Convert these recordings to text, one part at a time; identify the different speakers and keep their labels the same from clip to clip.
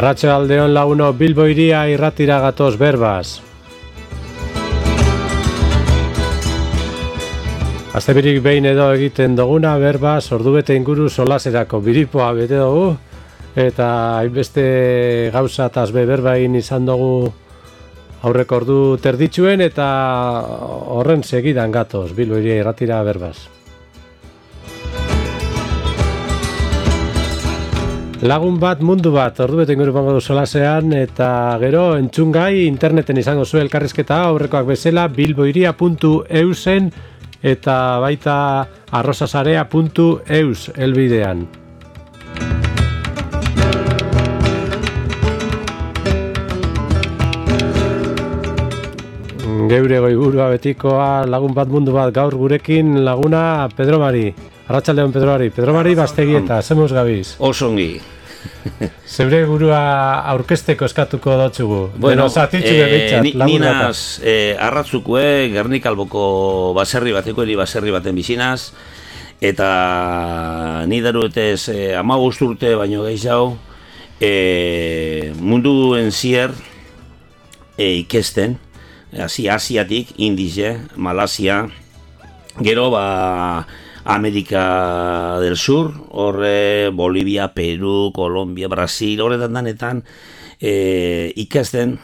Speaker 1: Arratsaldeon laguno, Bilbo iria irratira gatoz berbaz. Astebirik behin edo egiten duguna berbaz, ordubete inguru solaserako biripoa bete dugu, eta hainbeste gauza tasbe berbain izan dugu aurreko ordu terditxuen, eta horren segidan gatoz, Bilbo iria irratira berbaz. Lagun bat, mundu bat, ordubete inguru pango du solasean, eta gero entzungai interneten izango zu elkarrizketa aurrekoak bezala bilboiria.eusen eta baita arrosasarea.eus elbidean. Geure goiburua betikoa, lagun bat, mundu bat, gaur gurekin laguna Pedro Mari. Arratsaldeon Pedro Mari. Pedro Mari Bastegieta, zemuz gabiz?
Speaker 2: Osongi.
Speaker 1: Zeure burua aurkezteko eskatuko dotzugu.
Speaker 2: Bueno,
Speaker 1: ninaz
Speaker 2: arratzukue, Gernikalboko baserri bateko, eri baserri baten bizinaz, eta ni daruetez 15 urte baino gehiago, munduen zier ikesten, Asiatik, Indize, Malasia, gero Amerika del Sur, horre Bolivia, Peru, Colombia, Brasil, horretan danetan ikasten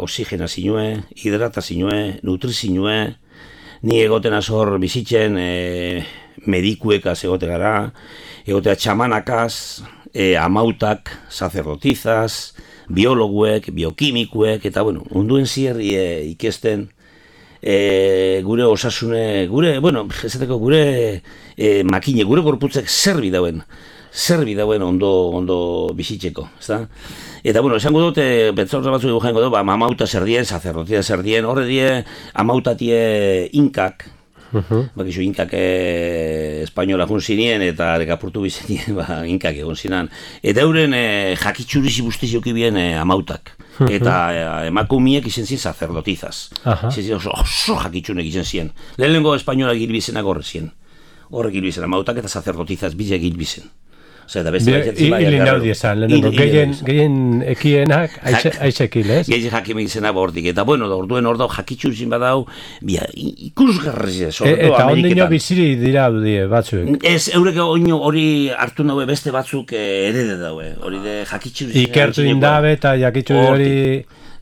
Speaker 2: oxigena zinue, hidrata zinue, nutri zinue, ni egoten azor bizitzen medikuekaz egote gara, egotea txamanakaz, amautak, sacerdotizaz, biologuek, biokimikuek, eta bueno, munduen zierri ikesten, gure osasune, gure makine, gure gorputzek zerbi dauen ondo bizitzeko, ezta? Eta bueno, esango dut, betzaurra batzuk dugu jango dut, amauta zer dien, sacerdotia zer dien, horre die, amautatie inkak, bakizu inkak espainola jun zinien eta dekapurtu bizenien, inkak egon zinan. Eta euren jakitxurizi bustizioki bien amautak. Eta emakumiek izen zien sacerdotizaz. Oso jakitxunek izen zien. Lehenengo espainola gilbizenak horre zien. Horrek gilbizen amautak eta sacerdotizaz bile gilbizen.
Speaker 1: Hilin daudi esan, lehenengo, gehien ekienak aixekil, ez?
Speaker 2: Gehien jakimek izena bortik, eta bueno, orduen hor dau jakitxu izin badau, ikusgarri ez,
Speaker 1: eta ondino biziri dira die batzuek?
Speaker 2: Ez, eurek hori hartu naue beste batzuk erede daue, hori de jakitxu izin.
Speaker 1: Ikertu indabe eta jakitxu hori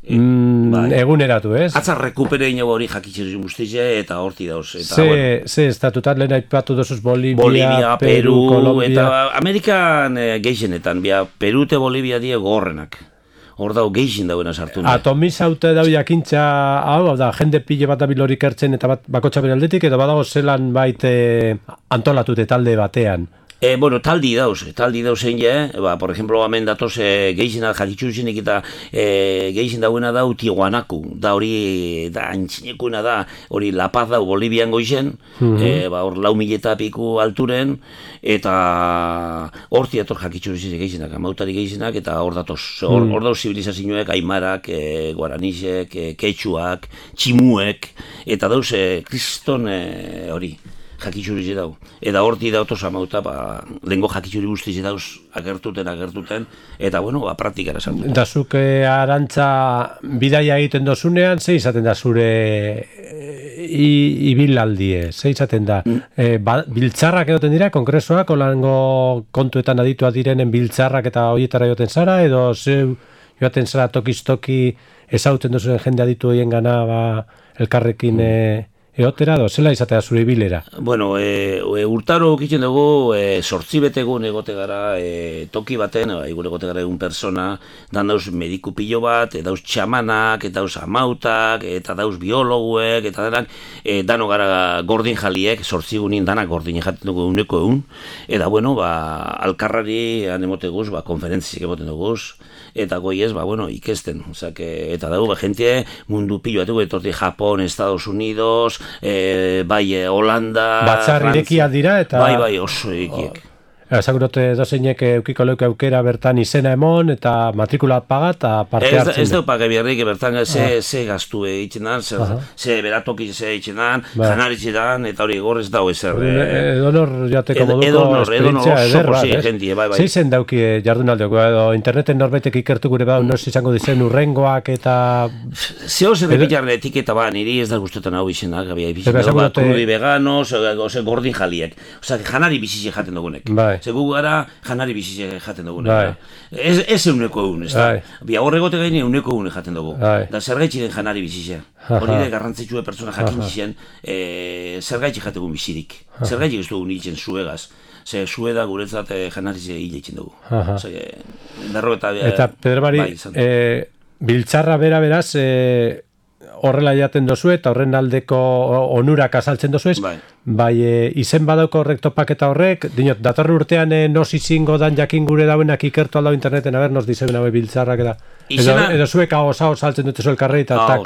Speaker 1: eguneratu, ez?
Speaker 2: Atzar rekuperein hori jakitxu guztize eta horti dauz.
Speaker 1: Ze estatutat lehen aipatu dozuz
Speaker 2: Bolivia, Peru, Colombia. Eta Amerikan geixenetan, Peru eta Bolivia die gorrenak. Hor dau geixin dauen sartu.
Speaker 1: Atomiz haute dau jakintza, hau da, jende pile bat abilorik ertzen eta bakotxa beraldetik, eta badago zelan baite antolatute talde batean.
Speaker 2: Bueno, taldi dauz egin por ejemplo, hemen datoz geixena jakitxuzinik eta geixen dauena dau Tijuanaku, da hori antxinekuna da, hori La Paz dau Bolivian goizen, hor 4.000 piku alturen, eta horti dator jakitxuzinik geixenak, amautari geixenak, eta hor datoz, hor dauz zibilizazioek, aimarak, guaranisek, ketxuak, tximuek, eta dauz kriston hori. Jakitxuri dau. Eta horti dautoz amauta, lehenko jakitxuri guztiz dauz agertuten, eta bueno, praktikara sartu.
Speaker 1: Da zuk arantza bidaia egiten dozunean, ze izaten da zure ibilaldi, ze izaten da? Biltzarrak egoten dira, kongresoak, olango kontuetan aditua direnen biltzarrak eta horietara joten zara, edo zeu joaten zara tokiz-toki ezauten duzuen jende aditu horien gana elkarrekin eotera, zela izatea zure ibilera?
Speaker 2: Bueno, urtaro okitzen dugu, 8 betegun egote gara toki baten, gure egote gara egun persona, dan dauz mediku pilo bat, dauz txamanak, dauz amautak, eta dauz biologuek, eta denak, dano gara gordin jaliek, 8 egunin danak gordin jaten dugu eguneko egun, eta bueno, alkarrari anemote guz, konferentziak emoten duguz, eta goiez, ikesten, eta dago, gente mundu pilo bat, etorti Japon, Estados Unidos, Holanda,
Speaker 1: batzar irekia dira eta
Speaker 2: bai oso irekiek.
Speaker 1: Ezagurote dozeinek eukiko leuke aukera bertan izena emon eta matrikula paga eta parte hartzen.
Speaker 2: Ez dut paga biharrik, bertan ze gaztu egiten dan, ze beratoki ze egiten dan, janaritxe dan, eta hori gorrez dau ezer.
Speaker 1: Edonor jateko moduko esperientzia eder bat. Zeizen dauki jardunaldeok, edo interneten norbaitek ikertu gure bau, nos izango dizen urrengoak eta...
Speaker 2: Zeo zer epitarren etiketa ba, niri ez da guztetan hau izenak, gabia ipizien, krudi veganos, gordin jaliek. Osa, janari bizize jaten dugunek. Ze gu gara janari bizize jaten dugunek. Ez euneko egun, ez da. Bia horregote gaine euneko egun jaten dugu. Da zergaitzi den janari bizize. Hori da garrantzitsua pertsona jakin izan, zergaitzi jategun bizirik. Zergaitzi ez dugun hitzen zuegaz. Ze zue da guretzat janarize hile hitzen dugu.
Speaker 1: Eta Pedro Mari, biltzarra bera beraz, horrela jaten dozu eta horren aldeko onurak azaltzen dozu ez, bai izen badauko horrek topaketa horrek, dinot, datorren urtean nos izingo dan jakin gure dauenak ikertu aldau interneten, nos dizeuen hau biltzarrak eta edo zuek hau saltzen dute zu elkarrei eta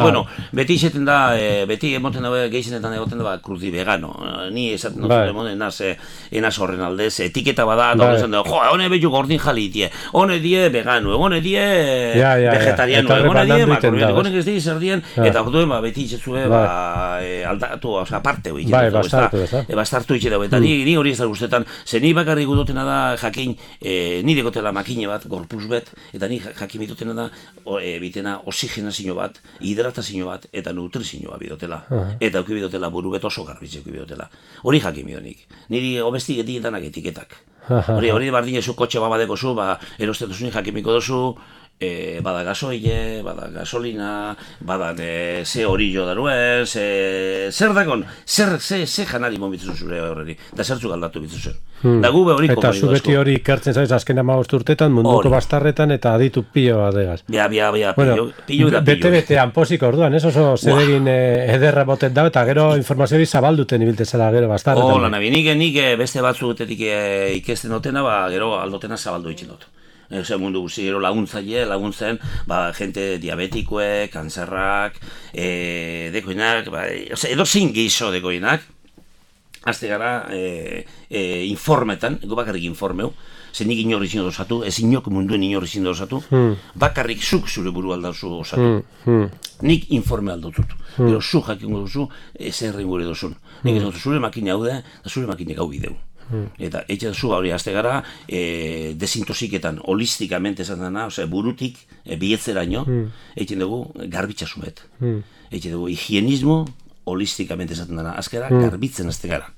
Speaker 2: bueno, beti izaten da, beti emoten dabe geizenetan egoten da krudi vegano, ni esaten dut emoten enaz horren aldez, etiketa bada, eta horren da, hone behu gordin jali die, hone die vegano, hone die vegetariano, hone die makrobiotiko, hone ez die zer dien, eta orduen beti izatzue aldatu, aparte hori, bastartu itxe dago, eta ni hori ez da guztetan, ze ni bakarrik gudotena da jakin, ni dekotela makine bat, gorpuz bet, eta ni jakin bitotena da, bitena oxigenazio bat, hidratazio bat, eta nutrizioa bidotela. Eta auki bidotela buru bet oso garbitze auki bidotela. Hori jakin bidonik. Niri obesti etiketak etiketak. Hori bardin ezu kotxe babadeko zu, erostetu zuen jakimiko dozu, bada gasoile, bada gasolina, bada ze horillo daruen, zer dakon, ze janari mobitzen zure horreri, da zertzuk aldatu bitzen. Da gube hori
Speaker 1: eta zu beti hori ikertzen zaiz azken 15 urtetan, munduko bastarretan eta aditu pilo adegaz.
Speaker 2: Bia, pilo eta pilo.
Speaker 1: Bete-betean posik orduan, ez oso zedegin ederra botet da, eta gero informaziori zabalduten ibiltzen zara gero bastarretan.
Speaker 2: Hola, nabi, nik beste batzuetetik ikesten dutena, gero aldotena zabaldu itzen dut. Ose mundu guzti gero laguntzen, gente diabetikoek, kanzerrak, dekoinak, edo zein gizo dekoinak, azte gara informetan, ego bakarrik informeu, ze nik inorri zin osatu, ez inok munduen inorri zin osatu, bakarrik zuk zure buru aldauzu osatu. Nik informe aldotut. Gero zu jakingo duzu, zer gure duzun. Nik ez dut zure makine hau da, zure makine gau bideu. Eta etxe zu hori azte gara desintosiketan holistikamente esan dena, burutik bietzeraino etxe dugu garbitxasumet. Etxe dugu higienismo holistikamente esaten dena, azkera garbitzen azte gara.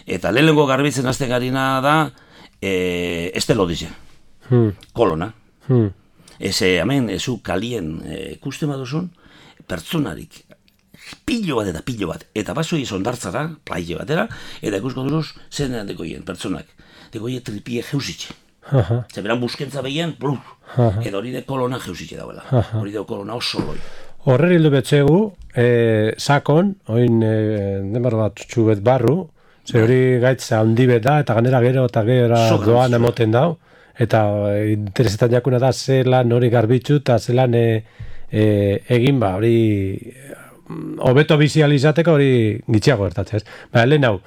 Speaker 2: Eta lehenengo garbitzen azte garina da estelodize, kolona. Hemen ezu kalien ikusten baduzun, pertsonarik pilo bat, eta basoi zondartzara, plaile batera, eta ikusko duruz, zen dekoien, pertsonak. Dekoie tripie jeusitxe. Zeberan buskentza behien, eta hori de kolona jeusitxe dauela. Hori de kolona oso loi.
Speaker 1: Horrer hildu betxegu, sakon, oin demar bat txubet barru, ze hori gaitza handi bet da, eta ganera gero eta doan emoten dau, eta interesetan jakuna da, zelan hori garbitzu, eta zelan egin hori... hobeto bizializateko hori gitxiago gertatzen, ez? Lehen hau,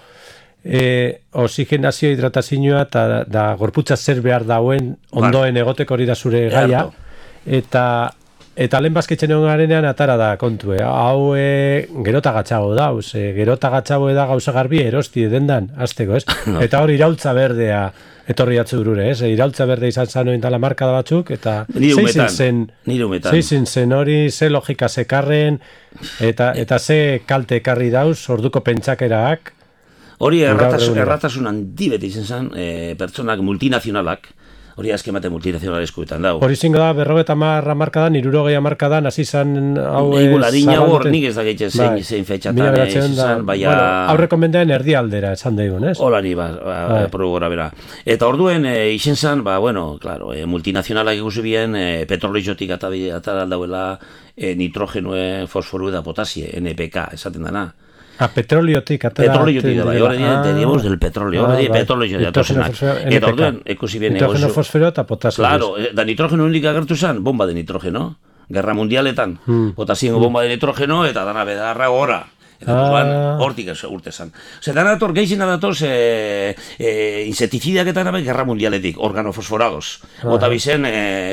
Speaker 1: oxigenazio hidratazioa eta gorputza zer behar dauen ondoen egoteko hori da zure gaia, eta lehen bazkitzen egon garenean atara da kontue. Hau gerota gatxago da, gerota gatxago da gauza garbi erosti edendan, azteko, ez? Eta hori iraultza berdea etorri atzu durure, ez? Iraultza berde izan zanoen dala markada batzuk, eta zeizin zen hori, ze logika zekarren, eta ze kalte ekarri dauz, orduko pentsakeraak.
Speaker 2: Hori erratasun handi beti izan zen, pertsonak multinazionalak, hori azken bate multinazional eskuetan dago.
Speaker 1: Hori zingo da, 50 markadan, 60 markadan, hasi zan hau...
Speaker 2: Igularina hor, nik ez da gaitzen zein fetxatan, izan, baina...
Speaker 1: Aurreko mendean erdi aldera, esan daigun, ez?
Speaker 2: Hola ni, gora bera. Eta orduen, izen zan, claro, multinazionalak ikusi bien, petroliotik atara aldauela, nitrogenue, fosforu eta potasie, NPK, esaten dana.
Speaker 1: Petroliotik
Speaker 2: Petroliotik da, horre tenemos del petrolio, horre petrolio datosenak. Eta orduen, ekusi bien negozu.
Speaker 1: Nitrogeno, fosfero eta potasio.
Speaker 2: Claro, da nitrogeno hendik agertu zen, bomba de nitrogeno. Guerra mundialetan. Potasien bomba de nitrogeno eta dana bedarra gora. Eta hortik urte zan. Dana dator, gehizena datoz inseticidak eta nabe Gerra Mundialetik, organofosforados. Ota bizen,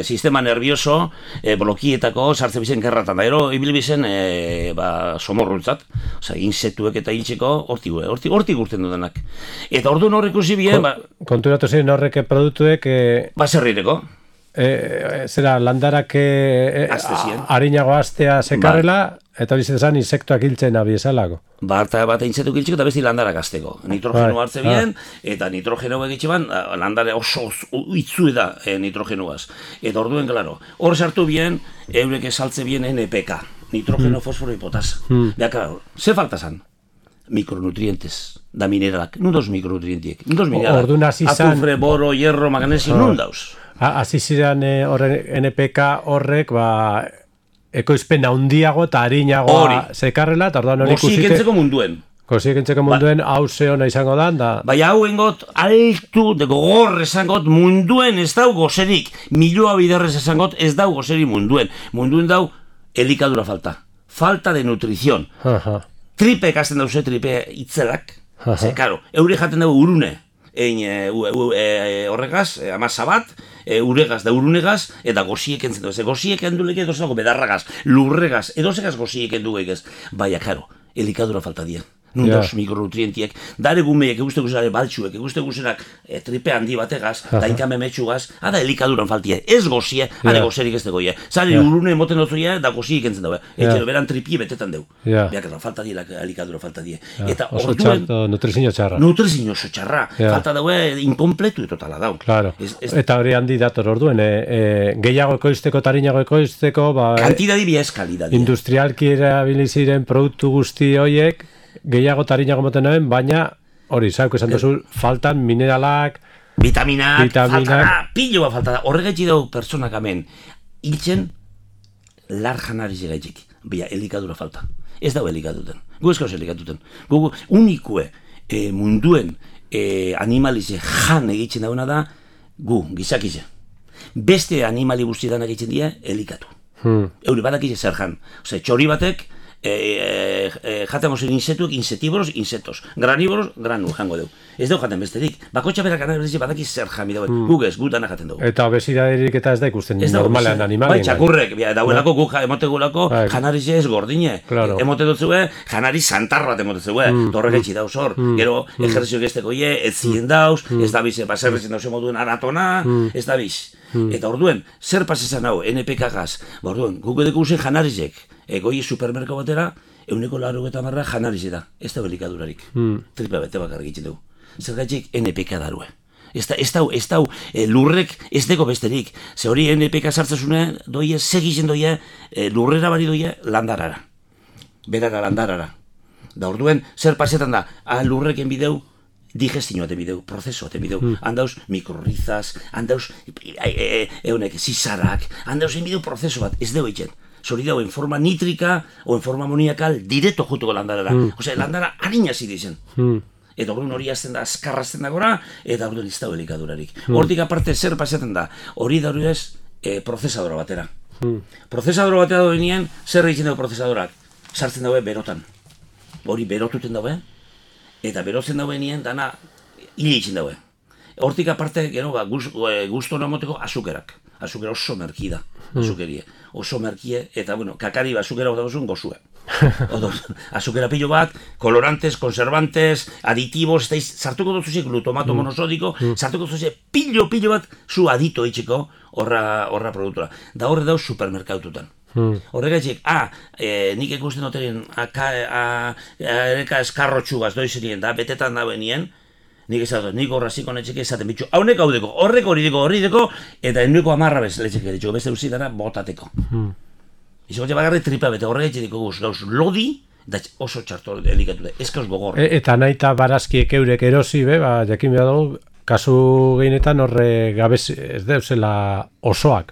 Speaker 2: sistema nervioso, blokietako sartze bizen gerratan. Da, ero, ibil bizen, somorruntzat. Insektuek eta hiltzeko hortik urten dudanak. Eta orduan horrek usi bien...
Speaker 1: Konturatu ziren horrek produktuek...
Speaker 2: Baserrireko.
Speaker 1: Zera, landarak harinago astea sekarrela, eta bizitezan insektuak hiltzen abiesalako.
Speaker 2: Bat insektuak hiltzeko eta besti landarak azteko. Nitrogeno hartze bien, eta nitrogeno egitxe ban, landare oso itzue da nitrogenoaz. Eta orduen, klaro, hor sartu bien, eurek esaltze bien NPK, nitrogeno, fosforo y potasa. Bea, klaro, ze falta zan? Micronutrientes da mineralak, nun dauz micronutrientiek, nun dauz mineralak, azufre, boro, hierro, magnesio, nun dauz.
Speaker 1: Hasi ziren NPK horrek, ekoizpen handiago eta harinago sekarrela, eta orduan hori ikusite...
Speaker 2: Gosikentzeko munduen.
Speaker 1: Gosikentzeko munduen hau ze hona izango da.
Speaker 2: Baina hau engot, altu, gogor esangot, munduen ez dau gozerik. Milioa biderrez esangot, ez dau gozerik munduen. Munduen dau, elikadura falta. Falta de nutrizion. Tripe ekasten dauze, tripe itzelak. Karo, eure jaten dugu urune. Horregaz, amasa bat, uregaz da urunegaz, eta goziek entzen dugu. Goziek endulek edo zelako bedarragaz, lurregaz, edo zegaz goziek endulek ez. Baina, karo, elikadura falta dien. Nundos mikronutrientiek, dare gumeiek, eguzte guzera baltsuek, eguzte guzerak tripe handi bategaz, dainkame metxugaz, ada elikaduran faltie, ez gozie, ade gozerik ez degoie. Zari urune moten dozuia, da goziek entzen daue. Etxero, beran tripie betetan deu. Beak, falta die, elikadura falta die. Eta
Speaker 1: oso txarto, nutrizio txarra.
Speaker 2: Nutrizio oso txarra. Falta daue, inkompletu etotala dau.
Speaker 1: Claro. Eta hori handi dator orduen, gehiago ekoizteko, tarinago ekoizteko,
Speaker 2: kantidadi biez kalidadi.
Speaker 1: Industrialki erabiliziren produktu guzti hoiek, gehiago tarinago moten noen, baina hori, zauk esan duzu, faltan mineralak,
Speaker 2: vitaminak, falta da, piloa falta da. Horregaitzi dugu pertsonak hemen, hiltzen, lar janariz egaitzik, bila, elikadura falta. Ez dago elikaduten, gu eskauz elikaduten. Gu unikue munduen animalize jan egitzen dauna da, gu, gizakize. Beste animali guztietan egitzen dira, elikatu. Euri badakize zer jan. Txori batek, jaten gozen insektuek, insetiboros, insektos. Granívoros, granu, jango dugu. Ez dugu jaten besterik. Bakotxa berak analizi badakiz zer jami dauen. Gugez, gutana jaten dugu.
Speaker 1: Eta obesidaderik eta ez da ikusten normalean animalien.
Speaker 2: Bai, txakurrek, dauelako gu emotegulako janarize ez gordine. Emote dutzue, janariz santar bat emote zue. Torrek etxi dauz hor. Gero, ejerzio gesteko ie, ez zien dauz, ez da biz, baserrezen dauz emoduen aratona, ez da biz. Eta orduen, zer pasizan hau, NPK-gaz, orduen, guk edeko usen janarizek, goi supermerko batera, 180 janarize da, ez da elikadurarik. Tripa bete bakar egiten dugu. Zergatik NPK darue. Ez dau, lurrek ez deko besterik. Ze hori NPK sartzezune, doie, segizen doie, lurrera bari doie, landarara. Berara, landarara. Da orduen, zer pasetan da, lurreken bideu, digestio ate bideu, prozeso ate bideu. Handauz mikrorrizaz, handauz zizarak, handauz bideu prozeso bat, ez deu eitzen. Zori dago en forma nítrica o en forma amoniakal direto jutuko landarara. Osea, landara harina zidizen. Eta orduan hori azten da, azkarrazten da gora, eta orduan ez dago elikadurarik. Hortik aparte zer pasaten da, hori da hori ez prozesadora batera. Prozesadora batera doenien, zer egiten dago prozesadorak? Sartzen dago berotan. Hori berotuten dago, eta berotzen dago nien dana hile egiten dago. Hortik aparte, gero, gustu hona moteko azukerak. Azukera oso merki da, azukerie. Oso merkie, eta, bueno, kakari azukera bat dagozun gozue. Azukera pilo bat, colorantes, conservantes, aditivos, sartuko duzuzik glutamato monosodiko, sartuko duzuzik pilo bat zu adito itxeko horra produktora. Da horre dauz supermerkaututan. Horregatik, nik ikusten duteren ereka eskarrotxugaz doizerien da, betetan da benien, nik esatot, nik horra ziko netxeke esaten bitxu, haunek hau deko, horrek hori deko, eta ennueko amarra bez letxeke ditxu, beste uzidana botateko. Izokotxe bagarri tripa bete, horregatik diko guz, gauz lodi, da oso txarto elikatu da, ez kauz gogor.
Speaker 1: Eta nahi eta barazkiek eurek erosi, jakin behar dugu, kasu gehienetan horre gabez ez deuzela osoak.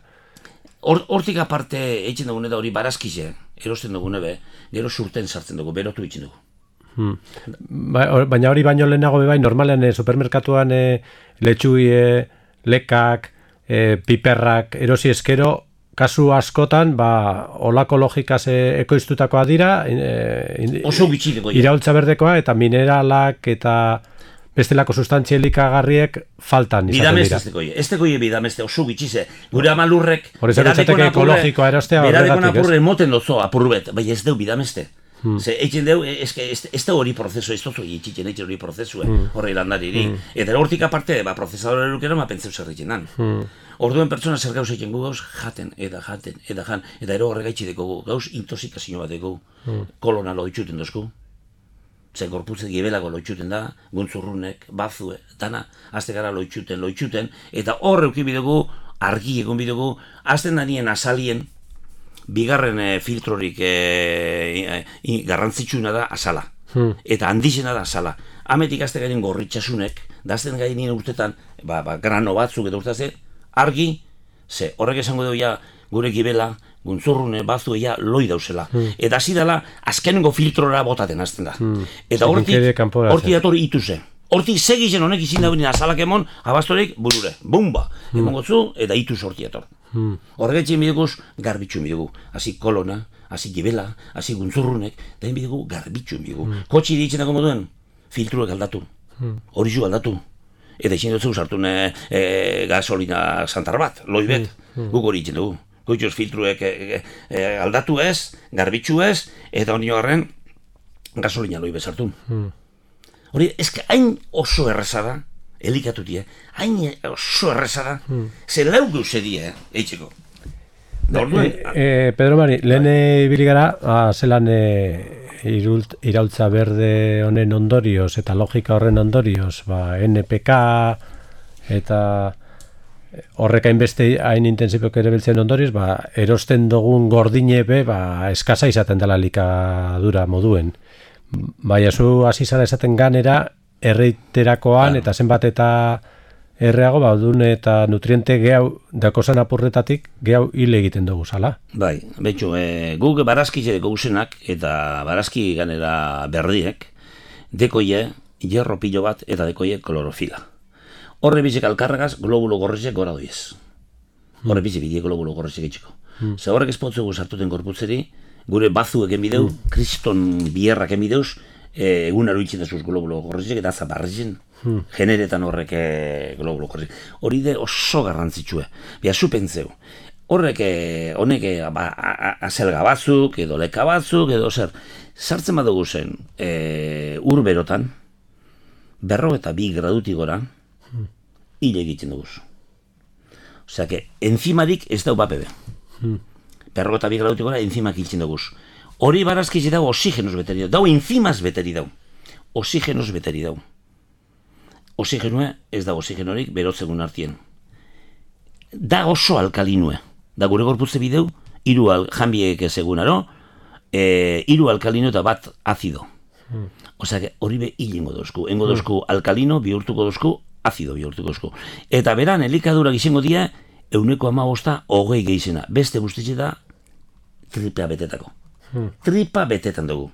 Speaker 2: Hortik aparte eitzen dugun eta hori barazkize, erosten dugune gero surten sartzen dugu, berotu eitzen dugu.
Speaker 1: Baina hori baino lehenago bai, normalean supermerkatuan letxui, lekak, piperrak, erosi eskero, kasu askotan, olako logikaz ekoiztutakoa dira,
Speaker 2: oso gutxi
Speaker 1: iraultza berdekoa, eta mineralak, eta bestelako sustantzia elikagarriek faltan izaten dira.
Speaker 2: Ez tekoie bidameste oso gutxize. Gure amalurrek,
Speaker 1: ekologikoa erostea
Speaker 2: beradekon apurre moten dozo apurbet, bai ez deu bidameste. Ze, eitzen deu, ez da hori prozesu, ez dozu eitzen hori prozesu, horre landariri. Eta hortik aparte, prozesadore erukero, pentseu zerretzen dan. Orduen pertsona zer gauz egiten gu gauz, jaten, eta ero horregaitzi deko gauz, intoxikazio bat deko, kolona loitxuten dozku. Zer gorputzet gibelago loitxuten da, guntzurrunek, bazue, dana, azte gara loitxuten, eta horre ukibidugu, argi egon bidugu, azten danien azalien, bigarren filtrorik garrantzitsuna da azala. Eta handizena da azala. Ametik azte gainen gorritxasunek, da azten gainen urtetan, grano batzuk edo urtaze, argi, ze horrek esango dugu ja gure gibela, guntzurrune, bazue ja loi dauzela. Eta hasi dela, azkenengo filtrora botaten azten da. Eta hortik dator ituze. Hortik segizen honek izin dauen azalak emon, abastorek burure, bumba, emon gotzu, eta ituz hortik dator. Horregatzen bideguz, garbitxun bidegu. Hasi kolona, hasi gibela, hasi guntzurrunek, da bidegu garbitxun bidegu. Kotxi ditzen dago moduen, filtruek aldatu, horizu aldatu. Eta izin dut sartun gasolina santar bat, loi bet, guk hori itzen dugu. Goitxoz filtruek aldatu ez, garbitxu ez, eta honi horren gasolina loi bet sartun. Hori, ezke hain oso errezada, elikatutie, hain oso errezada, ze lau gauze die, eitzeko.
Speaker 1: Pedro Mari, lehen ibili gara, zelan iraultza berde honen ondorioz, eta logika horren ondorioz, NPK, eta horrek hainbeste hain intensipok ere biltzen ondorioz, erosten dugun gordine be, eskasa izaten dela likadura moduen. Baina zu hasi zara esaten ganera erreiterakoan eta zenbat eta erreago baudun eta nutriente gehiago dakozan apurretatik gehiago hil egiten dugu zala.
Speaker 2: Bai, betxu, guk barazki zereko usenak eta barazki ganera berdiek dekoie hierro pilo bat eta dekoie klorofila. Horre bizek alkarregaz globulo gorrizek gora doiez. Horre bizek bidie globulo gorrizek itxiko. Ze horrek espotzugu sartuten korputzeri, gure bazu egen bideu, kriston bierrak egen bideuz, egunaro itxen dazuz globulo gorrizek eta zabarrizien, generetan horrek globulo gorrizek. Hori de oso garrantzitsue. Bia, zu pentseu. Horrek, honek, azelga batzuk, edo leka batzuk, edo zer, sartzen badugu zen, urberotan, 42 gradutik gora, hile egiten dugu. Osea, enzimarik ez dau bapebe. 42 gradutik gora enzimak hiltzen dugu. Hori barazkiz dago oxigenos beteri dau. Dau enzimaz beteri dau. Oxigenos beteri dau. Oxigenue ez da oxigenorik berotzegun artien. Da oso alkalinue. Da gure gorputze bideu, hiru janbiek ezegunaro, 3 alkalino eta bat azido. Osea, hori be hilengo dozku. Engo dozku alkalino bihurtuko dozku, azido bihurtuko dozku. Eta beran elikadurak izango dira, 15% 20 gehizena. Beste guztitze da, tripa betetako. Tripa betetan dugu.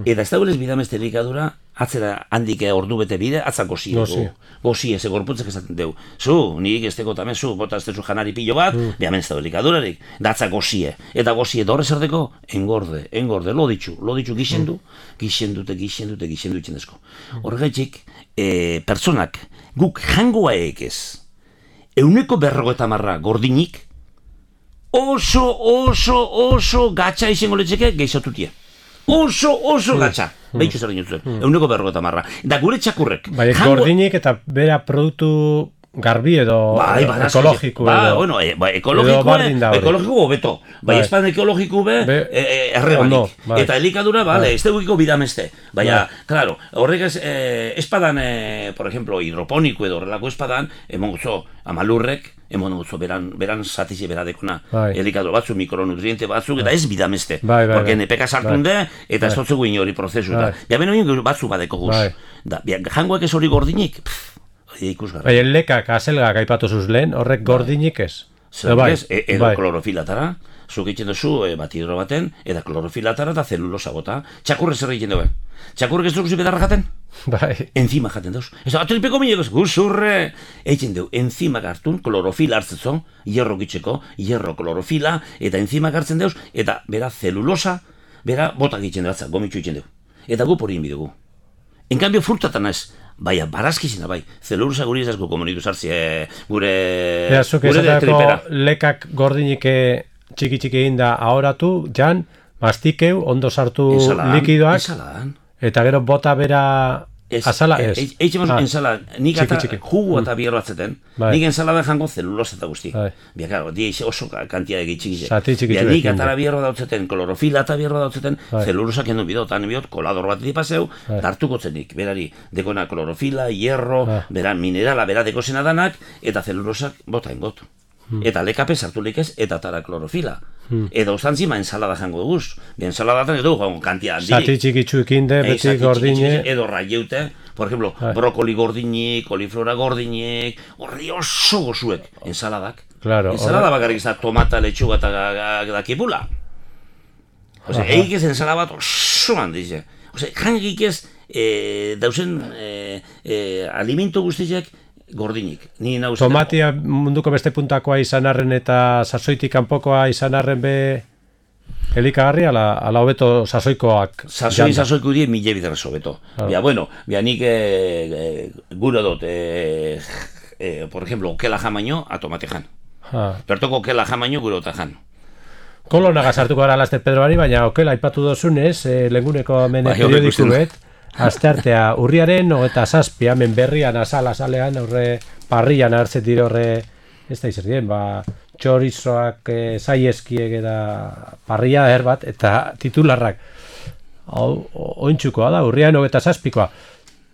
Speaker 2: Eta ez dagoelez bidameste elikadura, atzera handik ordu bete bide, atzak gozie dugu. Gozie, ze gorputzek esaten dugu. Zu, nik ez teko tamen, zu, bota ez tezu janari pilo bat, behamen ez dago elikadurarik. Da atzak gozie. Eta gozie dorre zerteko, engorde, lo ditxu gixendu itzen dezko. Horregatik, pertsonak, guk jangoa ekez, 150 gordinik, oso gatsa izango letzeke gehizatutie. Oso gatsa. Behitxu zer dintzuen. 150. Da gure txakurrek.
Speaker 1: Bai, gordinik eta bera produktu garbi edo ekologiko edo.
Speaker 2: Ekologiko hobeto. Bai, espan ekologiko errebanik. Eta elikadura, ez dugiko bidameste. Baina, claro, horrek espadan, por ejemplo, hidroponiko edo horrelako espadan, emongozo amalurrek, emongozo beran zatize beradekona. Elikadura batzu, mikronutriente batzuk, eta ez bidameste. Porque NPK sartunde, eta ez dutzugu inori prozesu. Ja, beno batzu badeko guz. Jangoak ez hori gordinik,
Speaker 1: Bai, lekak, azelgak aipatu zuz lehen, horrek gordinik ez.
Speaker 2: Edo klorofilatara, zuk egiten duzu batidro baten, eta klorofilatara eta zelulosa bota. Txakurre zer egiten dugu. Txakurrek ez dugu bedarra jaten?
Speaker 1: Bai.
Speaker 2: Enzima jaten dauz. Ez da, atripeko mineko, guzurre, eitzen deu, enzima hartun, klorofila hartzezo, hierro gitzeko, hierro klorofila, eta enzima hartzen dauz, eta bera zelulosa, bera botak itzen datza, gomitxu itzen deu. Eta gu porin bidugu. En cambio, frutatan ez, bai, barazkizina, bai, zelulosa guri ez asko komonitu sartzi, gure
Speaker 1: tripera. Lekak gordinik txiki egin da ahoratu, jan, mastikeu, ondo sartu likidoak.
Speaker 2: Ensaladan.
Speaker 1: Eta gero bota bera azala ez.
Speaker 2: Eixe mazu ensalada, nik ata jugu eta bierro atzeten, nik ensalada jango zelulosa eta guzti. Bia, karo, di oso kantia egi txiki. Bia, nik atara bierro dautzeten, klorofila eta bierro dautzeten, zelulosa kendu bidot, han bidot, kolador bat dipaseu, hartuko zenik, berari, dekona klorofila, hierro, bera minerala, bera dekosena danak, eta zelulosak bota ingot. Eta lekape sartu likez, eta tara klorofila. Edo ustantzima ensalada jango duguz. Ensaladatan edo kantia handirik.
Speaker 1: Zati txikitsuekin de, beti gordine.
Speaker 2: Edo raieute, por ejemplo, brokoli gordinik, koliflora gordinik, horri oso gozuek, ensaladak.
Speaker 1: Claro.
Speaker 2: Ensalada bakarrik izan tomata, letxuga eta kipula. Eik ez ensalada bat oso handize. Jangik ez dauzen alimento guztizek gordinik.
Speaker 1: Tomatia munduko beste puntakoa izan arren eta sasoitik kanpokoa izan arren be elikagarri ala hobeto sasoikoak.
Speaker 2: Sasoiko die mila biderrez hobeto. Bia, bueno, bia nik gure dut, por ejemplo, okela jamaino a tomate jan. Bertoko okela jamaino gure dut jan.
Speaker 1: Kolonaga sartuko gara Laster Pedroari, baina okela aipatu dozunez, lenguneko mene periodiku bet. Asteartea urriaren 27 hemen berrian azalean horre parrian hartzen dire horre ez da izerdien, txorizoak saieskiek eta parria bat eta titularrak ointxukoa da, urriaren 27koa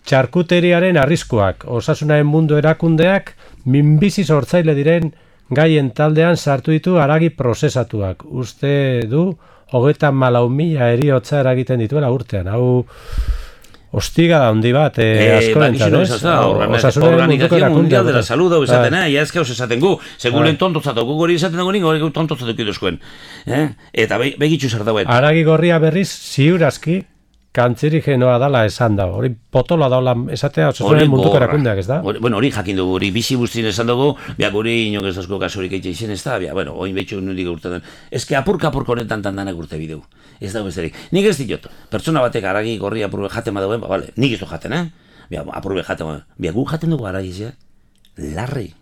Speaker 1: txarkuteriaren arriskuak, Osasunaren Mundu Erakundeak minbizi sortzaile diren gaien taldean sartu ditu haragi prozesatuak, uste du 34.000 heriotza eragiten dituela urtean, hau hostiga da handi bat, askorentzat, ez?
Speaker 2: Organización Mundial de la Salud hau esaten, ez que esaten gu, seguren tontotzatu, gu gori esaten dago ningu, hori tontotzatu kiduzkoen. Eta begitxu zer dauen.
Speaker 1: Haragi gorria berriz, ziurazki, kantzerigenoa dala esan da, hori potoloa daula esatea Osasunaren Munduko Erakundeak, ez da?
Speaker 2: Bueno, hori jakin dugu, hori bizi guztien esan dugu, guri inok ez dazko kasurik eitxe izen ez da, bueno, oin behitxu nundik urtetan. Ez que apurka honetan tandanak urte bideu. Ez dago besterik. Nik ez diot, pertsona batek haragi gorria apurbe jaten badauen, bale, nik ez du jaten, apurbe jaten badauen. Gu jaten dugu haragi, larri.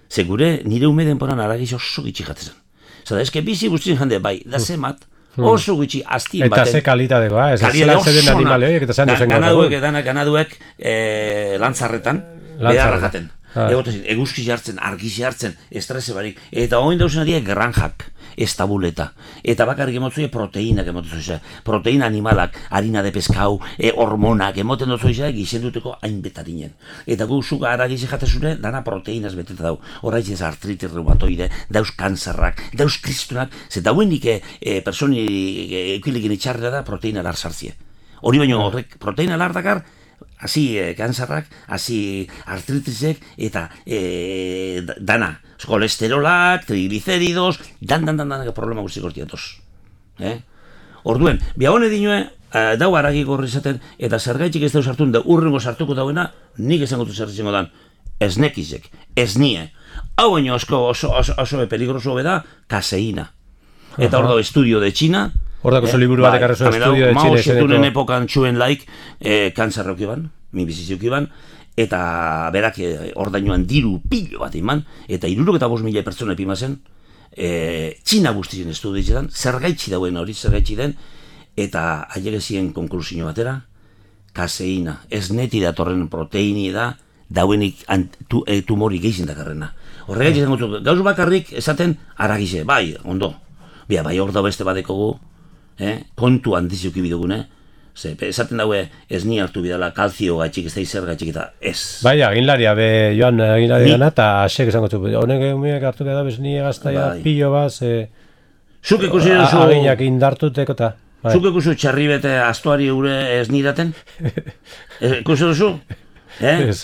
Speaker 2: Segure nire ume denporan haragi oso gitxi jatezen. Zada, ez que bizi guztien jande, bai, da zemat, oso gutxi aztien baten.
Speaker 1: Eta ze kalitatekoa, ez zela zeden animale horiek, eta zan duzen gaur.
Speaker 2: Ganaduek lantzarretan, beharra jaten. Eguzki jartzen, argizi jartzen, estrese barik. Eta oin dauzen adiak granjak, estabuleta. Eta bakarrik emotzuia proteinak emoten zuizea. Proteina animalak, harina de peskau, hormonak emoten duzuizea gizenduteko hainbetarinen. Eta gu zuka aragizi jatezune, dana proteinaz beteta dau. Horraiz ez artritis reumatoide, dauz kanzerrak, dauz kristunak, ze dauenik personi eukilikin itxarrera da proteina lar sartzie. Hori baino horrek proteina lar dakar, hasi kanzerrak, hasi artritisek, eta dana, kolesterolak, triglicéridos, dan problema guztik hortiatoz. Orduen, bia hone dinue, dau haragi gorri izaten, eta zergaitxik ez dauz hartun, da urrengo sartuko dauena, nik esango du zerritzen dan, ez nekizek, ez nie. Hau baino oso peligroso beda, kaseina. Eta hor dago estudio de China,
Speaker 1: Hordako zo liburu batek arrezo estudio de Chile.
Speaker 2: Mao Zedongen epokan txuen laik, kanzerrok iban, minbiziziok iban, eta berak ordainoan diru pilo bat iman, eta 65.000 pertsona epimazen, Txina guztien estudietan, zergaitzi dauen hori, zergaitzi den, eta ailegezien konklusio batera, kaseina, ez neti datorren proteini da, dauenik tumori gehizien dakarrena. Horregaitzi zen gutzu, gauz bakarrik esaten aragize, bai, ondo, bai hor da beste badekogu, kontu handizuki bidugune, esaten daue ez ni hartu bidala kalzio gaitxik, ez da izer gaitxik eta ez.
Speaker 1: Bai, aginlaria, joan aginlaria dana, eta asek esango txupu, honek egumiak hartu bidala, bez ni egaztaia pilo baz,
Speaker 2: zuk ikusi duzu...
Speaker 1: Aginak indartuteko eta...
Speaker 2: Zuk ikusi txarri bete astuari gure ez nidaten? Ikusi duzu?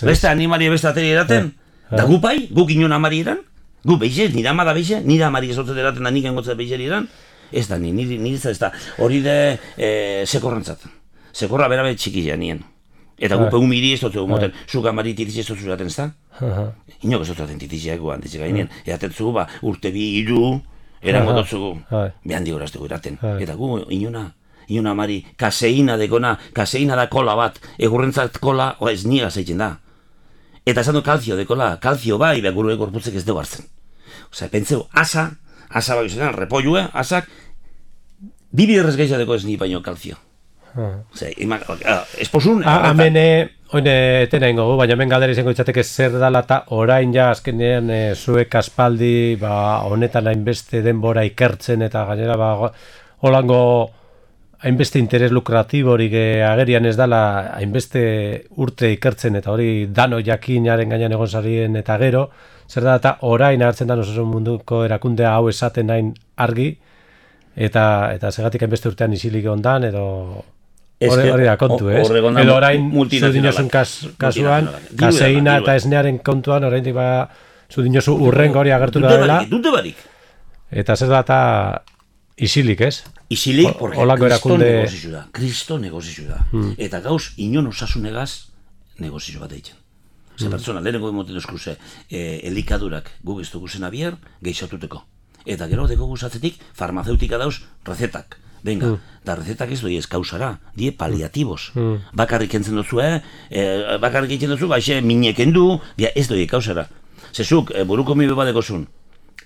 Speaker 2: Beste animari beste ateri eraten? Da gu bai, guk inon amari eran? Gu behize, nire amada behize, nire amari ezotzen eraten da nik engotzat behize eran? Ez da, nire ez da, hori de sekorrantzat. Sekorra berabe txikia nien. Eta gupe humiri ez dutzu moten, zuka mari titizi ez dutzu zaten, ez da? Inok ez dutzu zaten titiziak guan, ditzik gainean. Eaten zu, urte bi iru, erango dutzu, behan digorazteko eraten. Eta gu, inona mari, kaseina dekona, kaseina da kola bat, egurrentzat kola, ez niga zeitzen da. Eta esan du kalzio dekola, kalzio bai, behar gure gorputzek ez dugu hartzen. Osea, pentseu, asa bai zenan, repollue, asak, bibiderrez gehiateko ez ni baino kalzio. Osea, esposun...
Speaker 1: Hamene, oine etena ingo, baina hemen galdera izango ditzateke zer dala eta orain ja azkenean zuek aspaldi honetan hainbeste denbora ikertzen eta gainera holango hainbeste interes lukratiborik agerian ez dala hainbeste urte ikertzen eta hori dano jakinaren gainean egon zarien eta gero, zer da eta orain hartzen da osasun munduko erakundea hau esaten nahin argi eta segatik hainbeste urtean isilik ondan edo hori da kontu, ez? Edo orain zudinosun kasuan, kaseina eta esnearen kontuan orain zudinosu urrengo hori agertu da dela.
Speaker 2: Dute barik.
Speaker 1: Eta zer da eta isilik, ez?
Speaker 2: Isilik, porque Kristo negozizu da. Eta gauz, inon osasunegaz negozizu bat eitzen. Ze pertsona, lehenengo emoten duzkuze, elikadurak guk ez duguzen abier, geixotuteko. Eta gero deko guzatzetik, farmaceutika dauz, rezetak. Venga, da rezetak ez doi ez kausara, die paliatibos. Bakarrik entzen duzu, bakarrik entzen duzu, baixe mineken du, ez doi kausara. Zezuk, buruko mi beba dekozun,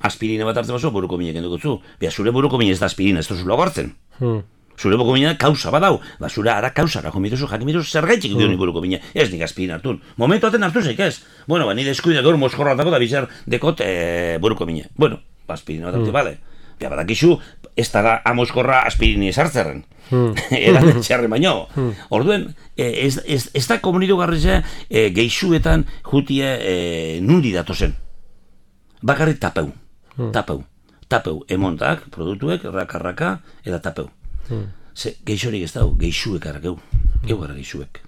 Speaker 2: aspirina bat hartzen bazo, buruko mineken dukotzu. Zure buruko min ez da aspirina, ez duzu hartzen. Zure buruko mina kausa badau, zure ara kausara, jomituzu, jakimituzu zergaitxik dioni buruko mina, ez nik aspirina hartun. Momentu aten hartu zeik ez. Bueno, nire eskuide gaur moskorra dako da bizar dekot buruko mina. Bueno, aspirina bat hartu, bale. Badakizu, ez da amoskorra aspirini esartzerren. Eraten txarren baino. Orduen, ez da komunitu garrizea geixuetan jutie nundi datozen. Bakarrik tapeu. Tapeu. Emontak, produktuek, raka, eta tapeu. Geixorik ez dau, geixuek arrakeu. Geu gara geixuek.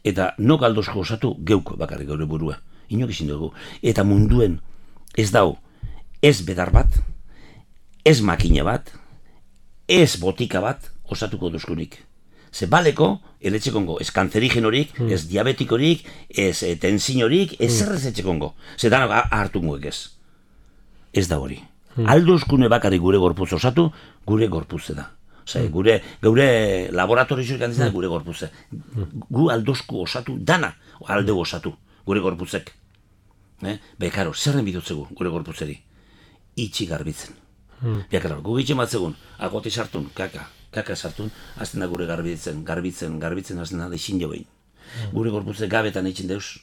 Speaker 2: Eta nok aldozko osatu geuk bakarrik gaur burua. Inok izin dugu. Eta munduen ez dau, ez bedar bat, ez makina bat, ez botika bat osatuko duzkunik. Ze baleko, eletxekongo, ez kanzerigenorik, ez diabetikorik, ez tensinorik, ez zerrez etxekongo. Ze danok hartungoek ez. Ez da hori. Alduzkune bakarrik gure gorputz osatu, gure gorputze da. Osea, gure laboratorioak handitzen da gure gorputze. Gu alduzku osatu dana, aldeu osatu, gure gorputzek. Bekaro, zerren bidutzegu gure gorputzeri? Itxi garbitzen. Gu gitxe matzegun, agoti sartun, kaka sartun, azten da gure garbitzen, azten da deixin jo behin. Gure gorputze gabetan eitzen deuz,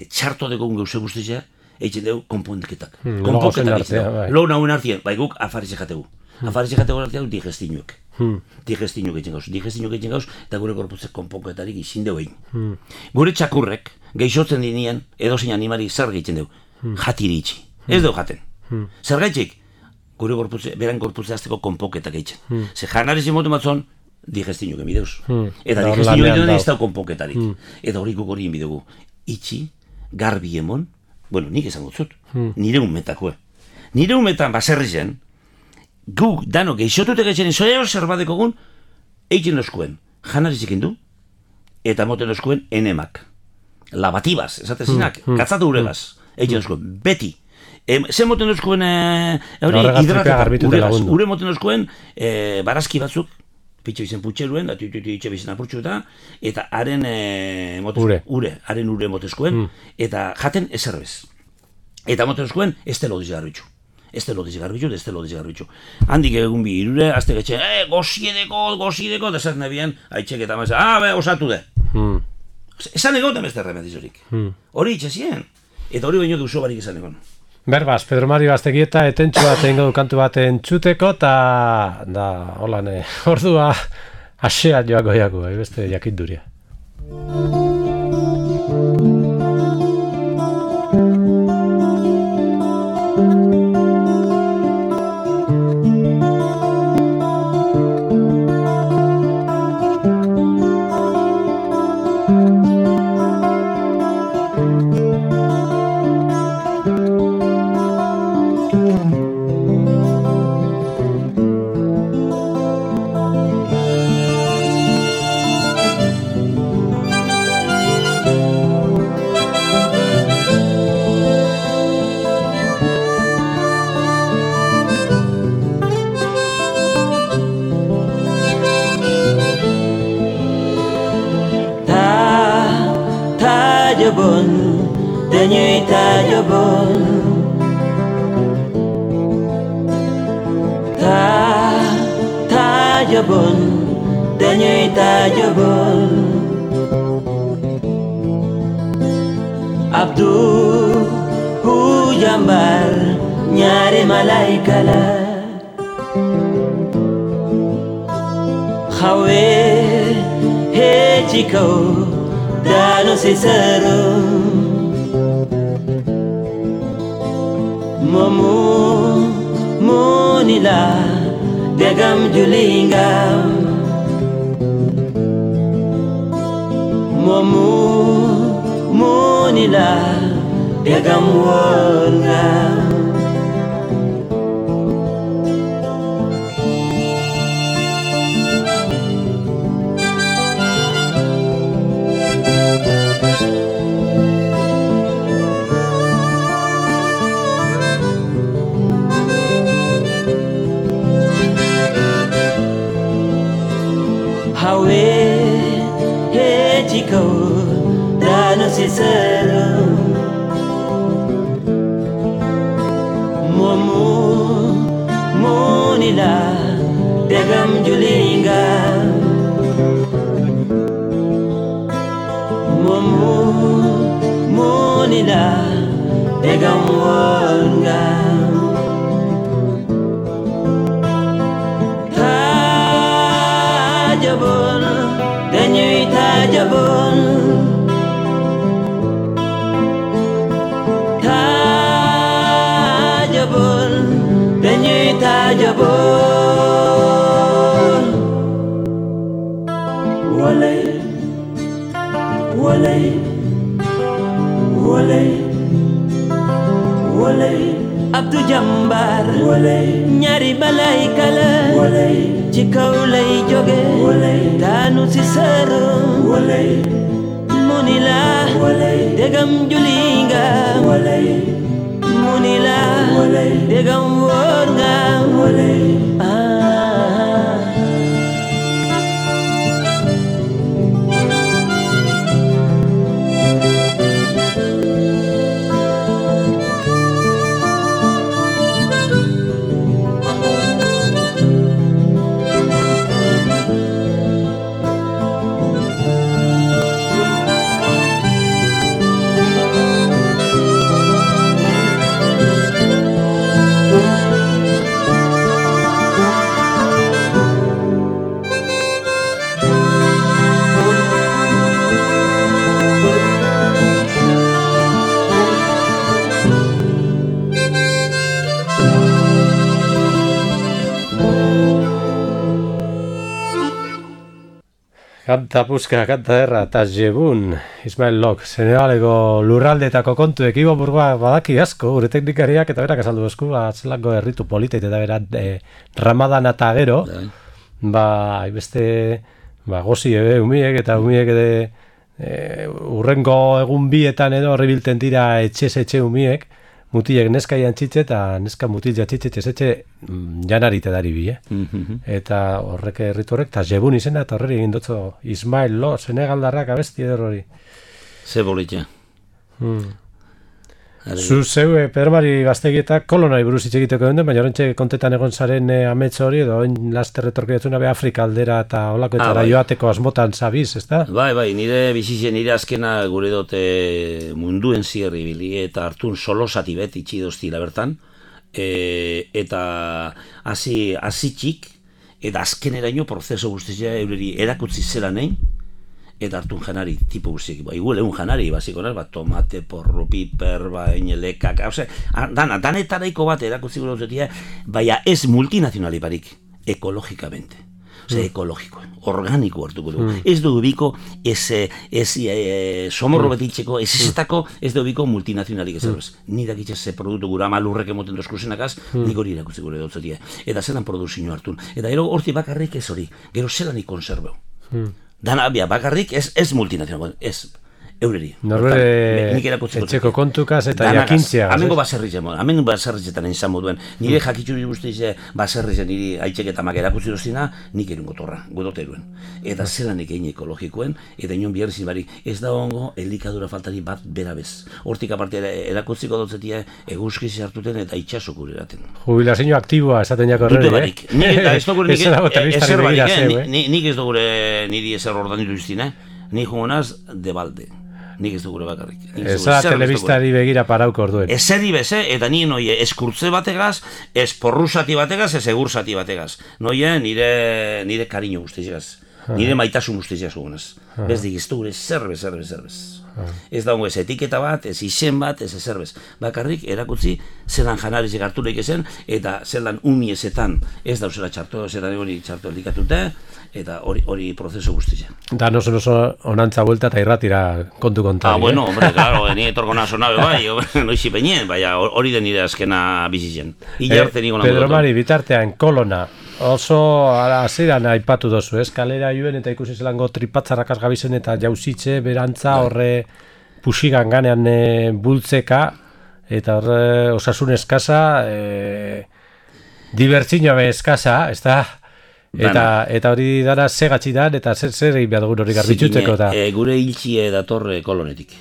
Speaker 2: txarto degun geuse guztizea, eitzen deu konponketak. Konponketak eitzen deu. Lo nauen artien, bai guk afarize jategu. Afarize jategu artean digestinuek. Digestinuek eitzen gauz, eta gure gorputze konponketarik izin deu egin. Gure txakurrek, geixotzen dinien, edozein animari zer geitzen deu. Jatiri itxi. Ez deu jaten. Zergaitxik, gure beran gorputze azteko konponketak eitzen. Ze janariz imoten batzon, digestinuek emideuz. Eta digestinuek emideuz ez dau konponketarik. Eta hori guk hori emidugu. Itxi, garbi emon, bueno, nik esango zut, nire unmetakue. Nire unmetan baserri zen, guk dano geixotutek eitzen zoia zerbadeko gun, eitzen oskuen, janarizik indu, eta moten oskuen enemak. Labatibaz, esatezinak, katzatu uregaz, eitzen oskuen, beti. Zer moten oskuen hidratetan, ure moten oskuen barazki batzuk, pitxe bizen putxeruen, itxe bizen apurtxu eta haren ure motezkoen, eta jaten ezerbez. Eta motezkoen, ez telo dizgarbitxu. Ez telo dizgarbitxu. Handik egun bi irure, azte getxe, goziedeko, da zer nebian, haitxek eta maza, osatu de. Esan egon emezte remedizorik. Hori itxezien. Eta hori baino duzu barik esan egon.
Speaker 1: Berbaz, Pedro Mario Aztegieta etentxu bat egingo du kantu bat entzuteko, eta holan, ordua asea joako jako, beste jakinduria.
Speaker 3: jobon, denyuita jobon. Ta jobon, denyuita jobon. Abdu hu jambar nyari malaikala. Hawe he chiko dano sisero. Momu monila degam julingam. Momu monila degam wongam. Hawe he chico dano sisero. Momu monila degam julinga. Momu monila degam wonga. Jabon, denyuita jabon. Ta jabon, denyuita jabon. Walay, walay, walay, walay. Abdu jambar, walay. Nyari balay kala, walay. Chikaw lay joge, walay. Danu si sero, walay. Munila, walay. Degam julinga, walay. Munila, walay. Degam worga, walay.
Speaker 1: Kanta puska, kanta erra, eta jebun, Ismael Lok, Senegaleko lurraldeetako kontuek, Ibo Burgoa badaki asko, gure teknikariak, eta berak azaldu esku, zelako herritu politeit, eta berat, Ramadan eta gero, beste, gozi umiek, eta umiek urrengo egun bietan edo horri bilten dira etxe umiek, mutilek neska jantzitze eta neska mutil jantzitze etxe janarite dari bi, Eta horrek herritu horrek, eta jebun izena, eta horreri egin dutzo Ismael Lo, Senegaldarrak abesti edo hori.
Speaker 2: Ze bolitxe.
Speaker 1: Zu zeu, Pedro Mari Gaztegietak kolonari buruz hitz egiteko den, baina horrentxe kontetan egon zaren amets hori, edo laster retorkiatzuna be Afrika aldera eta olakoetara joateko asmotan zabiz, ezta?
Speaker 2: Bai, nire bizitzen, nire azkena gure dote munduen zierri bili, eta hartun solosati bet itxidoztila bertan, eta hasi txik, eta azkeneraino prozeso guztia eureri erakutzi zela nahi, eta hartun janari, tipo guztiak, igual egun janari, basiko naz, tomate, porro, piper, inelekak, danetaraiko bat erakutzi gure duzetia, baina ez multinazionaliparik, ekologikamente. Ekologiko, organiko hartuko dugu. Ez dugu biko, somorro betitzeko, ez dugu biko multinazionalik ez. Ni dakitxe ze produktu gura malurrek emoten dozkusenakaz, nik hori irakutzi gure dutzetia. Eta zelan produzio hartun. Eta gero horti bakarrik ez hori, gero zelan ikonserbeu. Dana bakarrik ez multinazional, ez. eureri.
Speaker 1: Norbere etxeko kontukaz eta jakintzea.
Speaker 2: Amengo baserritzetan izan moduen. Nire jakitxuri guztize baserritzen niri aitzek eta mak erakutzi dozina, nik erun gotorra, godoteruen. Eta zelanik egin ekologikoen, eta inon biherrizin barik, ez da hongo elikadura faltari bat berabez. Hortik aparte erakutziko dotzetia eguzkiz hartuten eta itxasok eraten.
Speaker 1: Jubilazio aktiboa esaten jako horre,
Speaker 2: barik. Nik ez dugure ezer barik, nik ez dugure niri ezer ordan ditu iztin, nik jongonaz de balde. Nik ez dugure bakarrik.
Speaker 1: Eza telebistari begira parauko orduen.
Speaker 2: Ezeri beze, eta ni noie eskurtze bategaz, ez porrusati bategaz, ez egursati bategaz. Noie nire kariño guztizegaz. Nire maitasun guztizegaz gugunaz. Bezdik ez dugure zerbez. Ez dago ez etiketa bat, ez izen bat, ez zerbez. Bakarrik erakutzi zelan janarizik harturik ezen, eta zelan umiezetan ez dauzela txarto, zelan hori txarto elikatute, eta hori prozeso guztia.
Speaker 1: Da oso onantza vuelta eta irratira kontu kontari.
Speaker 2: Bueno, hombre, claro, ni etorko nazo nabe bai, noizi peñen, baina hori den nire azkena bizitzen.
Speaker 1: Pedro Mari, bitartean, Kolona, oso hasieran aipatu dozu, kalera joen eta ikusi zelango tripatzarrakaz gabizen eta jauzitze, berantza, horre puxigan ganean bultzeka, eta horre osasun eskasa, dibertsio eskasa, ez da? Eta hori dara segatxidan eta zer egin behar dugun hori garbitxuteko da.
Speaker 2: Gure hiltxie datorre Kolonetik.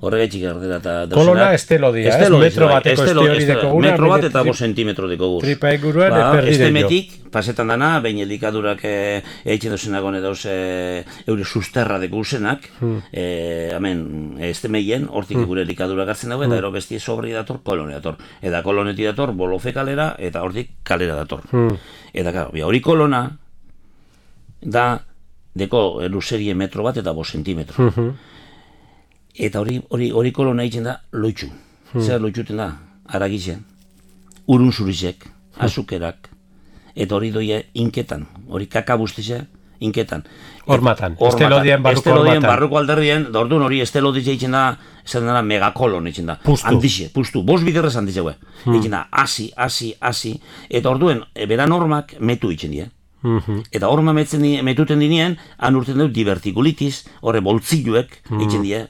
Speaker 2: Horregaitxik ardera eta...
Speaker 1: Kolona estelodia, metro bateko este hori deko guna.
Speaker 2: Metro bat eta 5 zentimetro deko guz.
Speaker 1: Tripa inguruan eperdire jo.
Speaker 2: Estemetik, pasetan dana, behin elikadurak eitzen dozenak hone dauz eure susterra deko guzenak, estemeien, hortik gure elikadurak hartzen dago, eta ero bestie sobri dator, Kolone dator. Eta Koloneti dator, Bolofe kalera, eta hortik kalera dator. Eta hori Kolona da deko luzerie metro bat eta 5 zentimetro. Eta hori Kolona egiten da loitxu. Zer loitxuten da? Aragitzen, urun zurizek, azukerak, eta hori doia inketan, hori kaka buztize, inketan.
Speaker 1: Hormatan, estelodien barruko hormatan.
Speaker 2: Estelodien barruko alderrien, da orduan hori esteloditze egiten da, esan dara megakolon egiten da. Pustu. Pustu, bos biderrez handize gue. Egiten da, hasi, eta orduen, bera normak metu egiten die. Eta horma metuten dinien, han urten dut divertikulitis, horre boltziluek egiten die,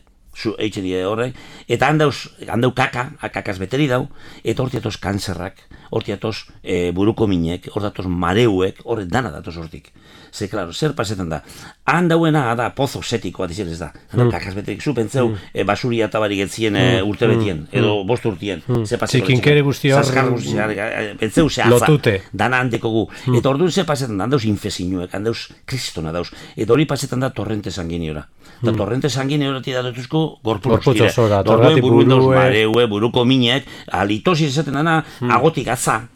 Speaker 2: horrek, eta handau kakaz beteri dau, eta hortiatoz kanzerrak, hortiatoz buruko minek, hortiatoz mareuek, horret dana datoz hortik. Ze, klaro, zer pasetan da? Handauena da pozo setiko bat izan ez da. Kakaz beterik zu, pentseu basuria tabarik etzien urte betien, edo bost urtien.
Speaker 1: Zikinkere guzti hor,
Speaker 2: pentseu ze
Speaker 1: lotute.
Speaker 2: Dana handeko gu. Eta orduan zer pasetan da, handauz infezinuek, handauz kristona dauz. Eta hori pasetan da torrente sanguiniora. Eta torrente sanguiniora tira dutuzko gorputz dira. Orduen buruko buruko minek, alitosi esaten dana, agotik, atza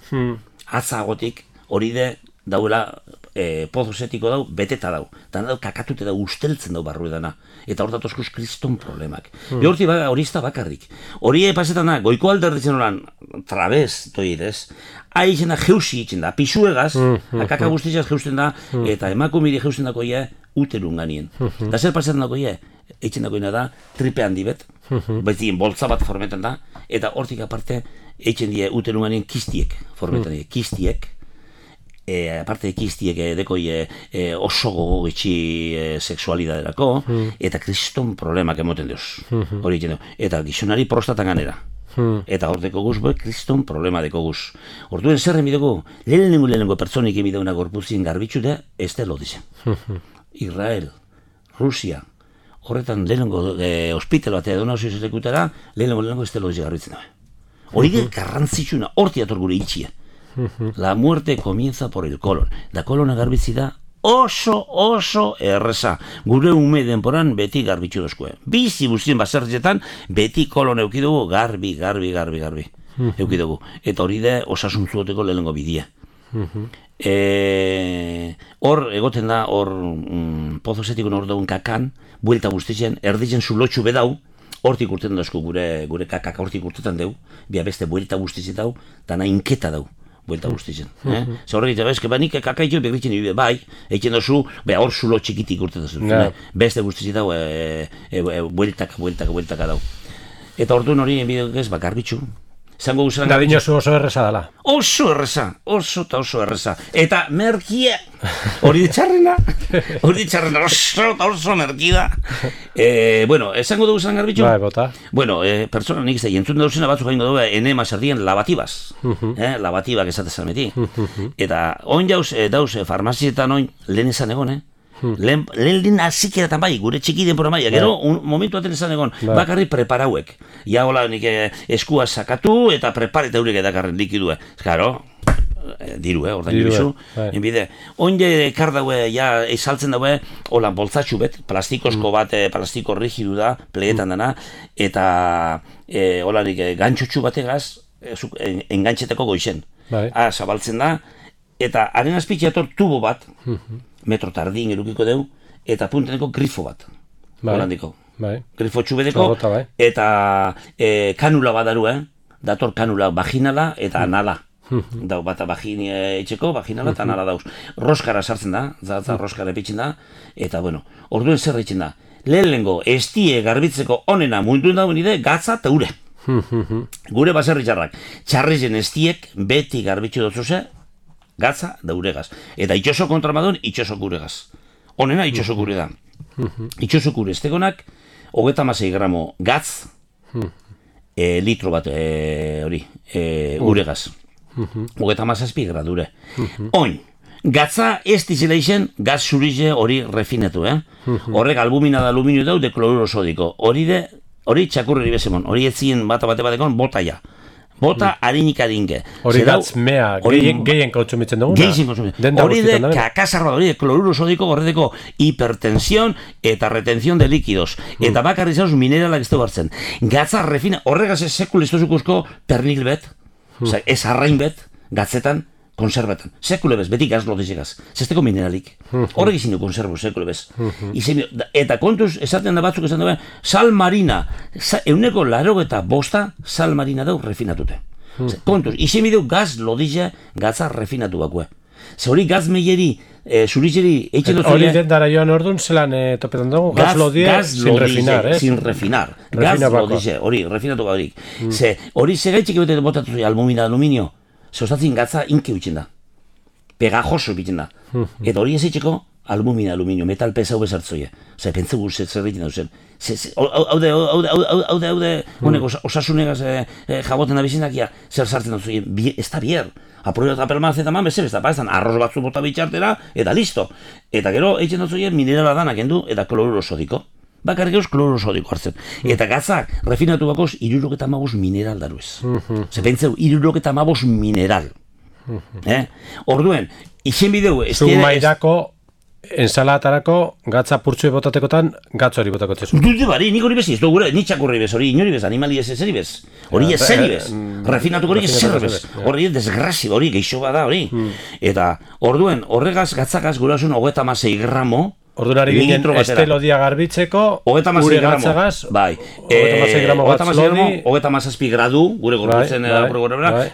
Speaker 2: agotik, hori de dauela pozo setiko dau, beteta dau. Dana dau kakatute dau, usteltzen dau barru edana. Eta hor datozkuz kriston problemak. Hori ez da bakarrik. Hori pasetan da, goiko alderditzen horan, trabez, doidez, haizena da jeusi itzen da, pisuegaz, kaka guztitzaz jeusten da, eta emakumiri jeusten dako uterun ganien. Da zer pasetan dako eitzen dagoena da, tripe handi bet, baitien boltza bat formetan da, eta hortik aparte, eitzen die uterun ganien kistiek formetan die, kistiek, aparte kistiek dekoi oso gogogetxi sexualidaderako, eta kriston problemak emoten deuz, hori eitzen dugu, eta gizonari prostatan ganera. Eta hor deko guz, kriston problema deko guz. Orduen zer emideko, lehenengo pertsonik emideuna gorpuzien garbitxutea, ez da lodizen. Israel, Rusia, horretan lehenengo hospital batea edo nauzio zetekutara, lehenengo ez da lodizen garbitzen dabe. Hori garrantzitsuna, horti ator gure itxia. La muerte comienza por el colon. Da kolona garbitzi da oso erreza. Gure ume denporan beti garbitzu dozkue. Bizi guztien basertzetan beti kolon eukidugu garbi. Eukidugu. Eta hori da osasuntzuoteko lehenengo bidia. Hor egoten da, pozo zetiko hor daun kakan, buelta guztitzen, erditzen zulotxu bedau, hortik urtetan dauzko gure kakak hortik urtetan deu, bia beste buelta guztitzen dau, dana inketa dau. Buelta guztitzen. Zer horrek eta nik kakaitxo bekritzen nire, bai, eitzen dozu, hor zulo txikitik urtetan zuen, beste guztitzen dau, bueltaka dau. Eta orduan hori enbidek ez, garbitzu, Zango guzan
Speaker 1: Da dinosu oso erresa dela.
Speaker 2: Oso erresa, oso erresa. Eta merkia, hori ditxarrena, oso merkida. Bueno, esango dugu zan garbitxo?
Speaker 1: Bai, bota.
Speaker 2: Bueno, pertsona nik zei, entzun dauzena batzuk jaingo dugu, enema sardien labatibaz. Labatibak esatezan beti. Eta on jauz, dauz, farmazietan oin, lehen esan egon, lehen azikeretan bai, gure txiki denpora bai, gero momentu aten esan egon, bakarri preparauek. Ja, hola, nik eskua sakatu eta prepareta hurek edakarren likidue. Karo, diru, ordain bizu. Enbide, onde ekar daue, ja, esaltzen daue, hola, boltzatxu bet, plastikosko bat, plastiko rigidu da, plegetan dana, eta, hola, nik gantxutxu bategaz, engantxeteko goizen. Zabaltzen da, eta haren azpitxeator tubo bat, metro tardin erukiko deu, eta punteneko grifo bat. Holandiko. Grifo txubedeko, eta kanula badaru, dator kanula vaginala eta anala. Dau bat vagini etxeko, vaginala eta anala dauz. Roskara sartzen da, zatza roskara epitzen da, eta bueno, orduen zer egiten da. Lehenengo, estie garbitzeko onena munduen dauen ide, gatza eta ure. Gure baserri txarrak. Txarrizen estiek beti garbitzu dutzuze, gatza da uregaz. Eta itxoso kontramadun, itxoso guregaz. Honena, itxoso gure da. Itxoso gure estegonak, 36 gramo gatz, litro bat hori, uregaz. 37 gradure. Oin, gatza ez dizela izen, gatz zurize hori refinatu, Horrek albumina da aluminio dau de kloruro sodiko. Hori txakurri bezemon, hori etzien bate batekon botaia. Bota harinik adinke.
Speaker 1: Hori gatz mea, gehien kontsumitzen dugu?
Speaker 2: Gehien kontsumitzen. Hori de kakasarra, hori de kloruro sodiko horreteko hipertensión eta retención de líquidos. Eta bakarri zauz mineralak ez dugu hartzen. Gatza refina, horregaz ez sekul ez duzukuzko pernil bet, ez arrain bet, gatzetan, konserbetan. Sekule bez, beti gaz lodizegaz. Zesteko mineralik. Horrek izin du konserbu, sekule bez. Eta kontuz, esaten da batzuk esan dabe, sal marina, euneko 85 sal marina dau refinatute. Kontuz, izin bidu gaz lodize gatza refinatu bakue. Ze hori gaz meieri, zurizeri, eitzen dut
Speaker 1: hori den dara joan orduan, zelan topetan dugu, gaz lodie sin refinar,
Speaker 2: sin refinar. Gaz lodize, hori, refinatu barik. Ze hori segaitxik ebete botatu zui almumina aluminio, zeustatzen gatza inke huitzen da. Pegajoso egiten da. Eta hori ez eitxeko aluminio, metal pesa hau bezartzoie. Osa, pentsa guzet zer egiten dauzen. Haude, honek osasunegaz jaboten da bizinakia, zer sartzen dauzen. Ez da bier. Aproio eta pelmaz eta man bezero, ez da paezan, arroz batzu bota bitxartera, eta listo. Eta gero eitzen dauzen minerala danak endu, eta kloruro sodiko. Bakarrik eus kloruro sodiko hartzen. Eta gatzak, refinatu bakoz, 75 mineral daruez. Ze pentseu, 75 mineral. Orduen, izen bideu...
Speaker 1: Zumairako, ensalatarako, gatza purtsue botatekotan, gatz hori botako txezu.
Speaker 2: Dute bari, nik hori bez, ez dugu, nitxak horri bez, hori inori bez, animali ez ezeri bez. Hori ez zeri bez, refinatuko hori ez zer bez. Hori desgrazi, hori geixo bada hori. Eta orduen, horregaz gatzakaz gurasun 36 gramo,
Speaker 1: ordunari ginen estelodia garbitzeko, gure gatzagaz, 36 gramo gatz lodi,
Speaker 2: 37 gradu, gure gorputzen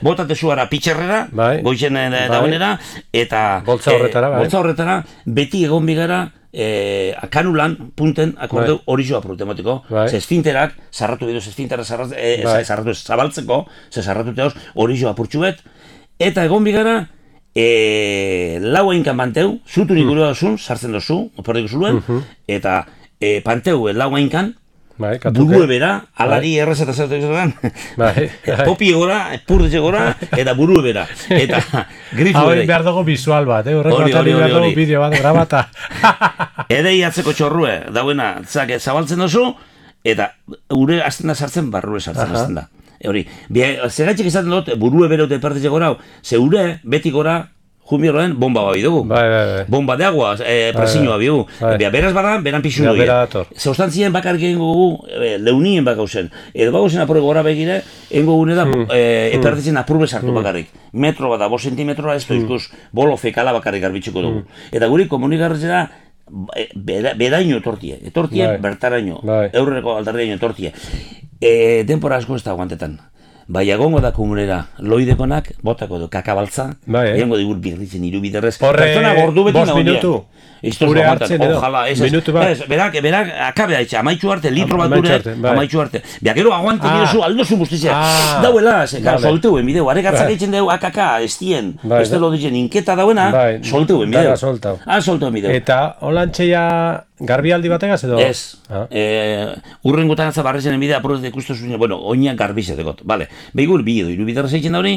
Speaker 2: botate zuara pitxerrera, goizen daunera, eta
Speaker 1: boltza
Speaker 2: horretara, beti egon bigara, kanulan, punten, akordeu hori joa protematiko, ze esfinterak, sarratu biduz esfintera sarratu zabaltzeko, ze sarratu teoz, hori joa purtsuet, eta egon bigara, lau einkan banteu, zuturik gure dozun, sartzen dozu, operdiko zuluen, eta panteu lau einkan, burue bera, alari errezeta zertu izan, popi gora, purdetxe gora, eta burue bera, eta grifu
Speaker 1: ere. Hau behar dugu visual bat, horreko atari behar dugu bideo bat, grabata.
Speaker 2: Edei atzeko txorrue, dauena, zabaltzen dozu, eta gure azten da sartzen, barrure sartzen da. Hori, zegatxik izaten dut, burue bere dute pertetxe gora, zeure, beti gora, junbierroen, bomba babi dugu. Bomba de agua, presiñoa bigu. Beraz bada, beran pixu dugu. Zeustantzien bakarrik egin gugu, leunien bakauzen. Edo bakauzen apure gora begire, egin gugune da, pertetzen apurbe sartu bakarrik. Metro bada, 5 centimetroa ez doizkuz, bolo fekala bakarrik garbitzuko dugu. Eta guri komunikarretzera, bedaino etortie, bertaraino, eurreko aldarriaino etortie. Denpora asko ez da guantetan. egongo da komunera, loidekonak, botako du, kakabaltza, egongo digur birritzen irubiderrez.
Speaker 1: Pertsona gordu beti nago minutu.
Speaker 2: Gure hartzen edo, minutu bat. Berak, akabe haitxe, amaitxu arte, litro bat dure, amaitxu arte. Gero aguante girozu, aldozu guztizia. Dauela, solteuen bideu, arek atzak eitzen deu, akaka, estien, este lo ditzen, inketa dauena, solteuen bideu. Solteuen bideu.
Speaker 1: Eta, holantxeia garbialdi bategaz edo?
Speaker 2: Ez. Urrengotan atza barrezenen bidea, aprobet ikustu zuen, bueno, oinak garbizetekot, bale. Behigur, bi edo, irubiderrez eitzen da hori.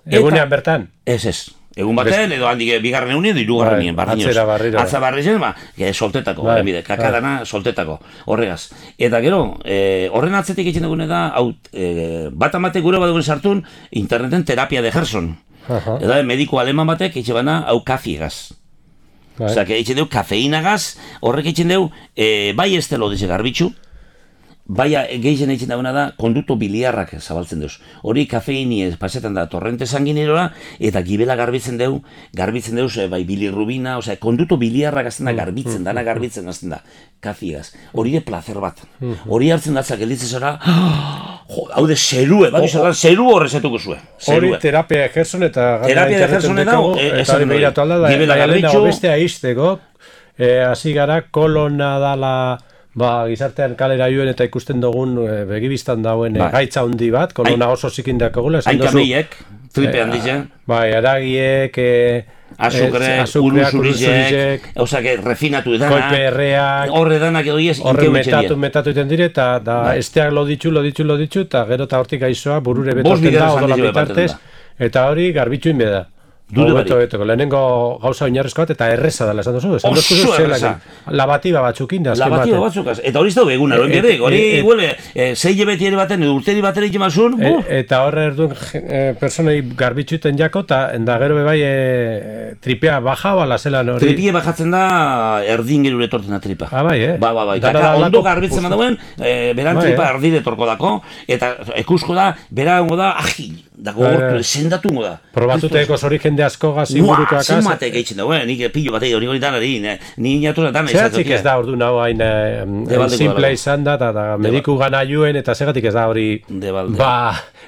Speaker 1: Egunean bertan?
Speaker 2: Ez. Egun baten, edo handik bigarren egunien, edo irugarren nien, Atza barrizen, soltetako, kakadana soltetako, horregaz. Eta gero, horren atzetik egiten dugune da, bat amatek gure bat dugun sartun, interneten terapia de Gerson. Eta mediko aleman batek egiten bana, hau kafiegaz. Osa, egiten dugu kafeinagaz, horrek egiten dugu, bai ez telo dize garbitxu, bai gehien egiten dagoena da, konduto biliarrak zabaltzen duz. Hori kafeini pasetan da torrente sanguinerora, eta gibela garbitzen dugu, bai bilirrubina, oza, konduto biliarrak azten da garbitzen, dana garbitzen azten da, kafiegaz. Hori de placer bat. Hori hartzen datzak elitzen zara, haude zerue, zeru horrezetuko zuen.
Speaker 1: Hori terapia Gerson eta
Speaker 2: terapia Gerson edago,
Speaker 1: eta behiratu alda da,
Speaker 2: gibela garbitxu,
Speaker 1: bestea izteko, hasi gara kolona dala, gizartean kalera joen eta ikusten dugun begibistan dauen gaitza handi bat, kolona oso zikindak egula.
Speaker 2: Aikameiek, tripe handitzen.
Speaker 1: Aragiek,
Speaker 2: azukreak, uruzurizek, refinatu edana,
Speaker 1: koiperreak,
Speaker 2: horre danak edo iez,
Speaker 1: horre metatu iten dire, eta esteak loditxu, eta gero eta hortik aizoa burure betoten da, odola bitartez, eta hori garbitxu inbeda. Lehenengo gauza oinarrezko bat eta erreza dela esan duzu.
Speaker 2: Oso erreza.
Speaker 1: Labatiba batzuk inda.
Speaker 2: Labatiba batzukaz. Eta hori ez da beguna, hori huele, 6 hilabete ere baten, urteri baten egin mazun.
Speaker 1: Eta horre erduen personei garbitxuten jako, eta gero bebai tripea baja bala zelan hori.
Speaker 2: Tripie bajatzen da erdin gerure torten da tripa.
Speaker 1: Bai.
Speaker 2: Eta ondo garbitzen dauen, beran tripa erdire torko dako, eta ekusko da, berango da, da gogortu, sendatungo da.
Speaker 1: Probatuteko zori jende asko gazi burukoak.
Speaker 2: Zenbatek eitzen dago, nik pillo batei hori danari, ni inatuza dana izan.
Speaker 1: Zeratzik ez da ordu nago hain simple izan da, eta mediku gana juen, eta segatik ez da hori,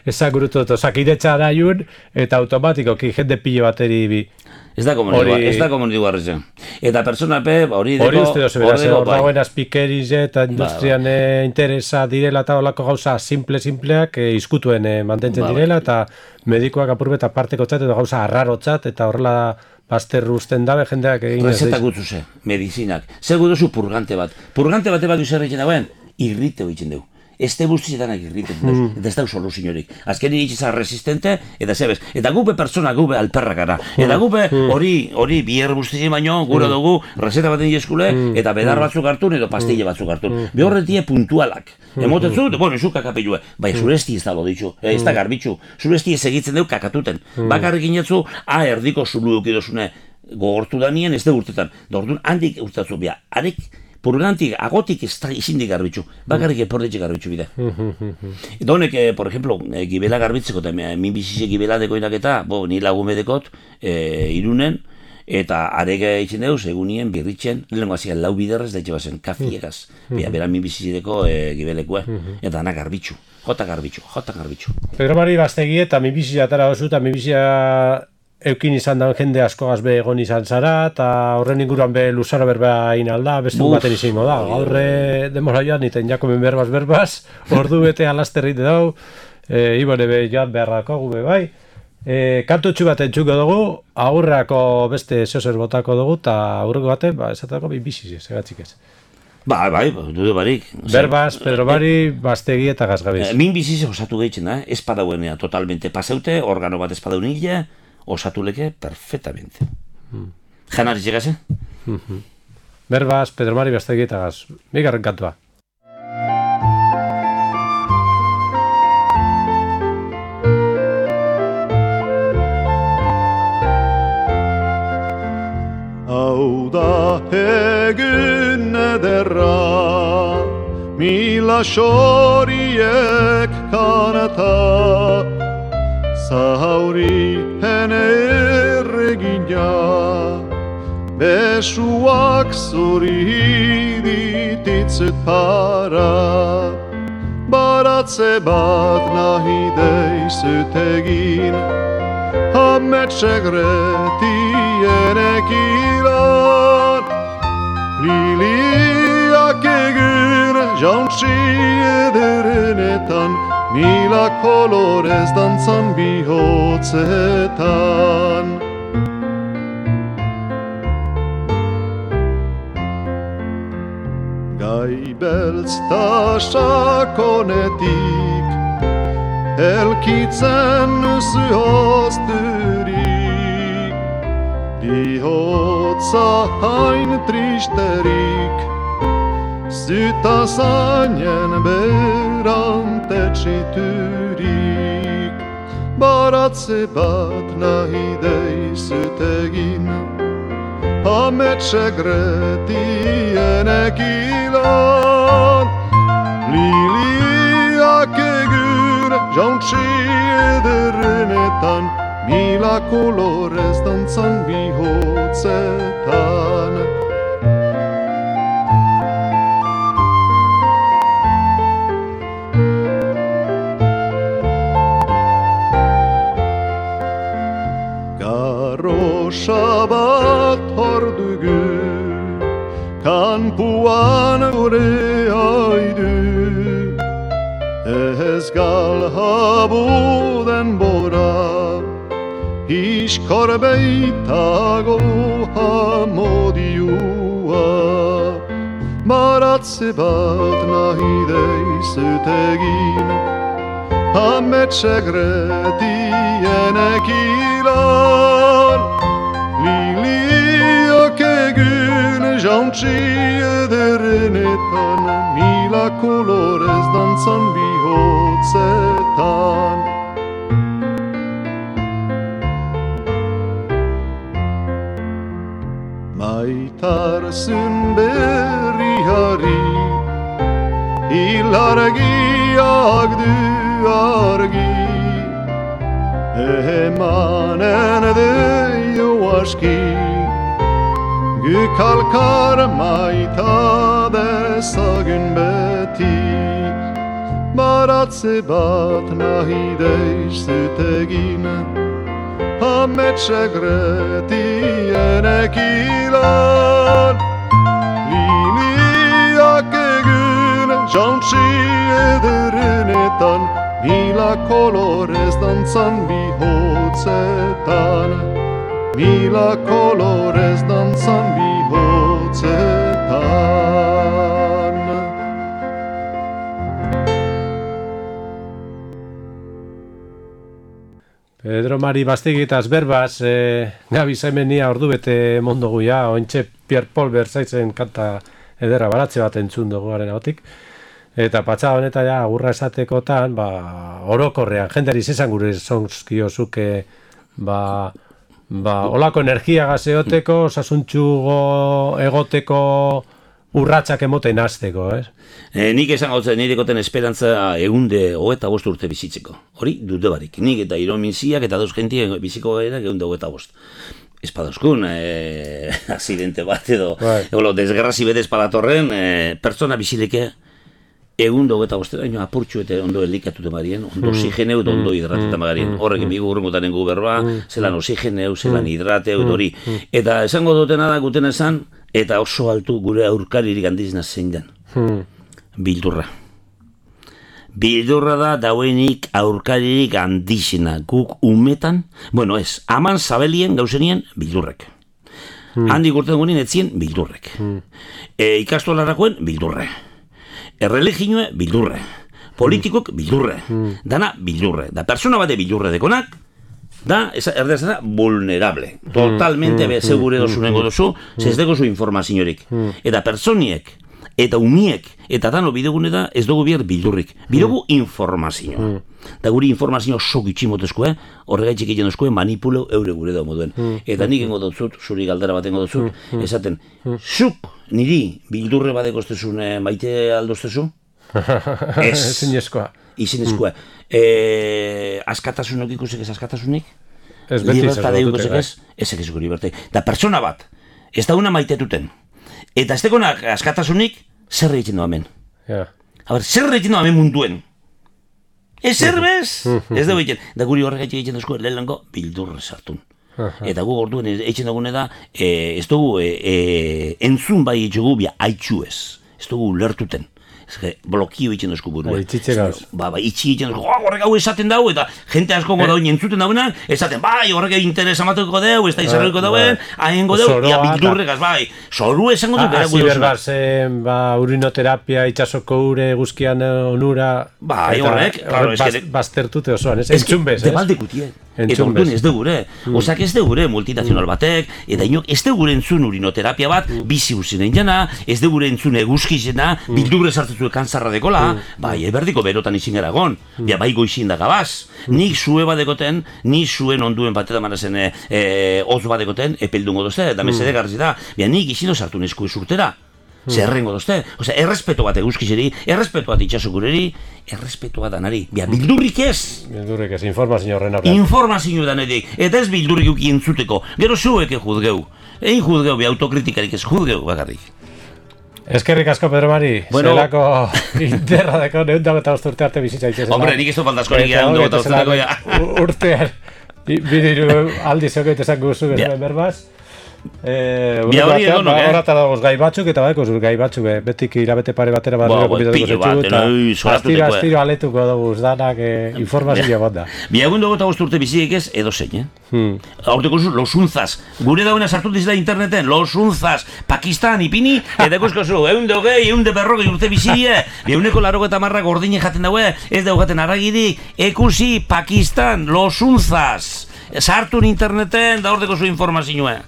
Speaker 1: ezak gurutu, osakidetza da juen, eta automatikoki jende pillo bateri bi.
Speaker 2: Ez da komunitu garritzen. Eta personape, hori
Speaker 1: uste dozu, hor dagoen azpikerize eta industrian interesa direla eta olako gauza simpleak izkutuen mantentzen direla, eta medikoak apurbeta parteko txat, eta gauza arrarotzat, eta horrela bazterru usten dabe jendeak egin ez.
Speaker 2: Rezetak gutzuze, medizinak. Zer guduzu purgante bat. Purgante bate bat duzer egiten dagoen, irriteo egiten dugu. Este guztietan egiten duz, eta ez da soluziorik. Azken iritsizan resistente, eta zebez. Eta gupe pertsona gube alperrak gara. Eta gupe hori bier guztizien baino, gure dugu, reseta baten eskule, eta bedar batzuk hartun, edo pastille batzuk hartun. Behorretie puntualak. Emotetzu, bueno, izu kakapelue. Bai, zuresti ez da lo ditxu, ez da garbitxu. Zuresti ez egitzen dugu kakatuten. Bakarrik inetzu, erdiko zulu dukidozune gogortu da nien, ez da urtetan. Da orduan, handik urtatzu bia. Purgantik, agotik ez da izindik garbitxu, bakarrik eportetxe garbitxu bide. Eta honek, por ejemplo, gibela garbitzeko, eta minbizize gibela dekoinak eta, ni lagume dekot, irunen, eta arega egiten deuz, egunien, birritzen, lehenko haziak lau biderrez, da bazen, kafiegaz, bera minbizize deko gibelekua, eta dana garbitxu, jota garbitxu.
Speaker 1: Pedro Mari Bastegi eta minbizize atara oso, eta minbizize eukin izan da jende askogaz be egon izan zara, eta horren inguruan be luzaro berba inalda, beste baten izango da. Gaurre demora joan, iten jakomen berbaz, ordu bete alasterrit dau, ibone be joan beharrako gube bai. Kantutxu bat entzuko dugu, aurrako beste zeozer botako dugu, eta aurreko baten, esatako biziz, segatzik ez.
Speaker 2: Bai, dudu barik.
Speaker 1: Berbaz, Pedro Mari, Bastegi eta Gazgabiz.
Speaker 2: Min biziz osatu gehitzen da, espadauenea totalmente paseute, organo bat espadaun hile, osatuleke perfectamente. Janari llegase?
Speaker 1: Berbaz, Pedro Mari, Bastegi eta Gaz. Bigarren kantua.
Speaker 4: Hau da egun ederra, mila xoriek kanata, zauri erregina, besuak zuri dititzet para, baratz Baratze bat nahi deizut egin, ametsegretienek ilan. Liliak egin jauntsi ederenetan, mila kolorez dantzan bihotzetan. Gai beltz ta sakonetik, elkitzen zuhozturik, bihotza hain tristerik, zyta zainen berantetxiturik. Baratze bat nahi deizut egin, ametsegretienek ilan. Liliak egin jauntsi ederenetan, mila kolorez dantzan bihotzetan. Garrosa bat hor dugu, kanpuan gure haidu. Ez galhabu denbora, iskor beitago hamodiua. Baratze bat nahi deizut egin, ametsegretienek ilan. Liliak egin jauntsi ederenetan, mila kolorez dantzan bihotzetan. Maitarzun berriari, ilargiak du argi. Emanen deio aski, Gükalkar maita dezagun beti. Baratze bat nahi deizut egin, ametsegretienek ilan. Liliak egin jauntsi ederenetan, mila kolorez dantzan bihotzetan. Mila kolorez dantzan bihotzetan.
Speaker 1: Pedro Mari Bastigitaz berbaz, Gabi Zaimenia ordu bete mondogu ja, ointxe Pierre Paul Berzaitzen kanta ederra baratze bat entzun dugu garen agotik. Eta patsa honetan ja, agurra esatekotan, orokorrean, jendari zesan gure zonzkiozuke, olako energia gazeoteko, osasuntxugo egoteko urratsak emoten hasteko, ez?
Speaker 2: Nik esan gautzen nirekoten esperantza egunde 25 urte bizitzeko. Hori dute barik. Nik eta irominziak eta dauz gentie biziko gaira egunde 25. Espadazkun, aksidente bat edo, desgarrazi bete espadatorren, pertsona bizileke egundo 25 daino apurtxu eta ondo elikatute marien, ondo oxigeneu eta ondo hidrateta marien. Horrek emigu urrengotan engu berba, zelan oxigeneu, zelan hidrateu, hori. Eta esango dutena da guten esan, eta oso altu gure aurkaririk handizena zein den. Bildurra. Bildurra da dauenik aurkaririk handizena. Guk umetan, aman zabelien gauzenien bildurrek. Handik urten gunin etzien bildurrek. Ikastolarrakoen bildurre. Erreligioe bildurre. Politikok bildurre. Dana bildurre. Da persona bate bildurre dekonak, da, erdez da, vulnerable. Totalmente segure dozunengo dozu, zezdeko zu informaziorik. Eta personiek, eta umiek, eta dano bidegune da, ez dugu bier bildurrik. Bidegu informazio. Da guri informazio sok itximotezkoe, horregaitxik egin dozkoe manipulo eure gure da moduen. Eta nik engo dotzut, zuri galdera bat engo dotzut, esaten, zuk niri bildurre bat ekostezun maite aldoztezu? Ez.
Speaker 1: Zinezkoa.
Speaker 2: Izinezkoa. Askatasunok ikusek ez askatasunik?
Speaker 1: Ez beti
Speaker 2: izango dute, ez? Ez egizuko libertai. Da persona bat, ez da una maitetuten. Eta ez dekonak askatasunik, zer egiten du hemen?
Speaker 1: Ja.
Speaker 2: Zer egiten du hemen munduen? Ezerbez, ez dugu egiten. Da guri horregatik egiten duzko, lehenengo bildurre sartun. Eta gu orduan egiten dugune da, ez dugu entzun bai etxugu, haitxu ez. Ez dugu lertuten. Blokio egiten duzko burua.
Speaker 1: Itxitxe gauz.
Speaker 2: Itxi egiten duzko, horrek hau esaten dau, eta jente asko goda hori entzuten dauena, esaten, bai, horrek interesa mateko deu, ez da izarriko dauen, haengo deu, bildurregaz, bai. Zoru esango du bera
Speaker 1: gudu zuna. Asi berbaz, urinoterapia, itxasoko ure, guzkian onura...
Speaker 2: Bai, horrek, claro,
Speaker 1: baztertute osoan, ez? Entzunbez, ez?
Speaker 2: Debaldekutie. Eta orduan ez dugure, osak ez dugure multinazional batek, eta inok ez dugure entzun urinoterapia bat, bizi uzinen jana, ez dugure entzun eguzkizena, bildurre sartzetu kantzarra dekola, bai, eberdiko berotan izin gara gon, bai goizin da gabaz, nik zue badekoten, ni zuen onduen bateta manazen oz badekoten, epeldungo dozte, da mesede garzi da, nik izin sartu nesko ezurtera. Zerrengo dozte, errespeto bat eguzkizeri, errespeto bat itxasokureri, errespeto bat danari, bildurrik ez.
Speaker 1: Bildurrik ez, informazio horren aurrean.
Speaker 2: Informazio danetik, eta ez bildurrik uki entzuteko, gero zueke juzgeu. Egin juzgeu, autokritikarik ez juzgeu bakarrik.
Speaker 1: Eskerrik asko, Pedro Mari, zelako interra deko, neundago eta urte arte bizitza itxezela.
Speaker 2: Hombre, nik ez du faltasko nik neundago eta urte ja.
Speaker 1: Urtean, bidiru aldi zeoket esan guzu, berbaz. Horata dagoz gai batzuk eta baiko gai batzuk betik irabete pare batera astiro aletuko daguz danak informazioa bat da.
Speaker 2: Biagun dugu eta urte biziek ez edo zein, Horteko losunzaz, gure dauna sartu dizela interneten, losunzaz, Pakistan ipini, eta ikusko zu, eunde berrogei urte bizie, euneko 80 gordine jaten daue, ez dago jaten aragirik, ekusi Pakistan, losunzaz, sartu interneten, da horteko zu informazioa.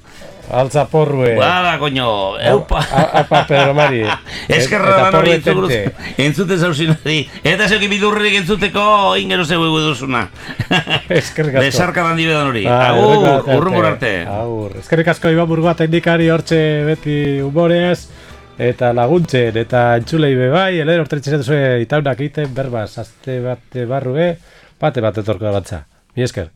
Speaker 1: Altza porrue.
Speaker 2: Bada, coño.
Speaker 1: Apa, Pedro Mari.
Speaker 2: Eskerra da hori entzute zauzin hori. Eta zeuki bildurrik entzuteko ingero zeu egu duzuna.
Speaker 1: Eskerrik asko.
Speaker 2: Besarka dandi bedan hori. Agur, urrungor arte.
Speaker 1: Agur. Eskerrik asko Iban Burgoa teknikari hortxe beti humoreaz. Eta laguntzen, eta entzulei bebai, elero orteretzen zuen itaunak egiten, berbaz, azte bate barrue, bate bat etorko da batza. Mi esker.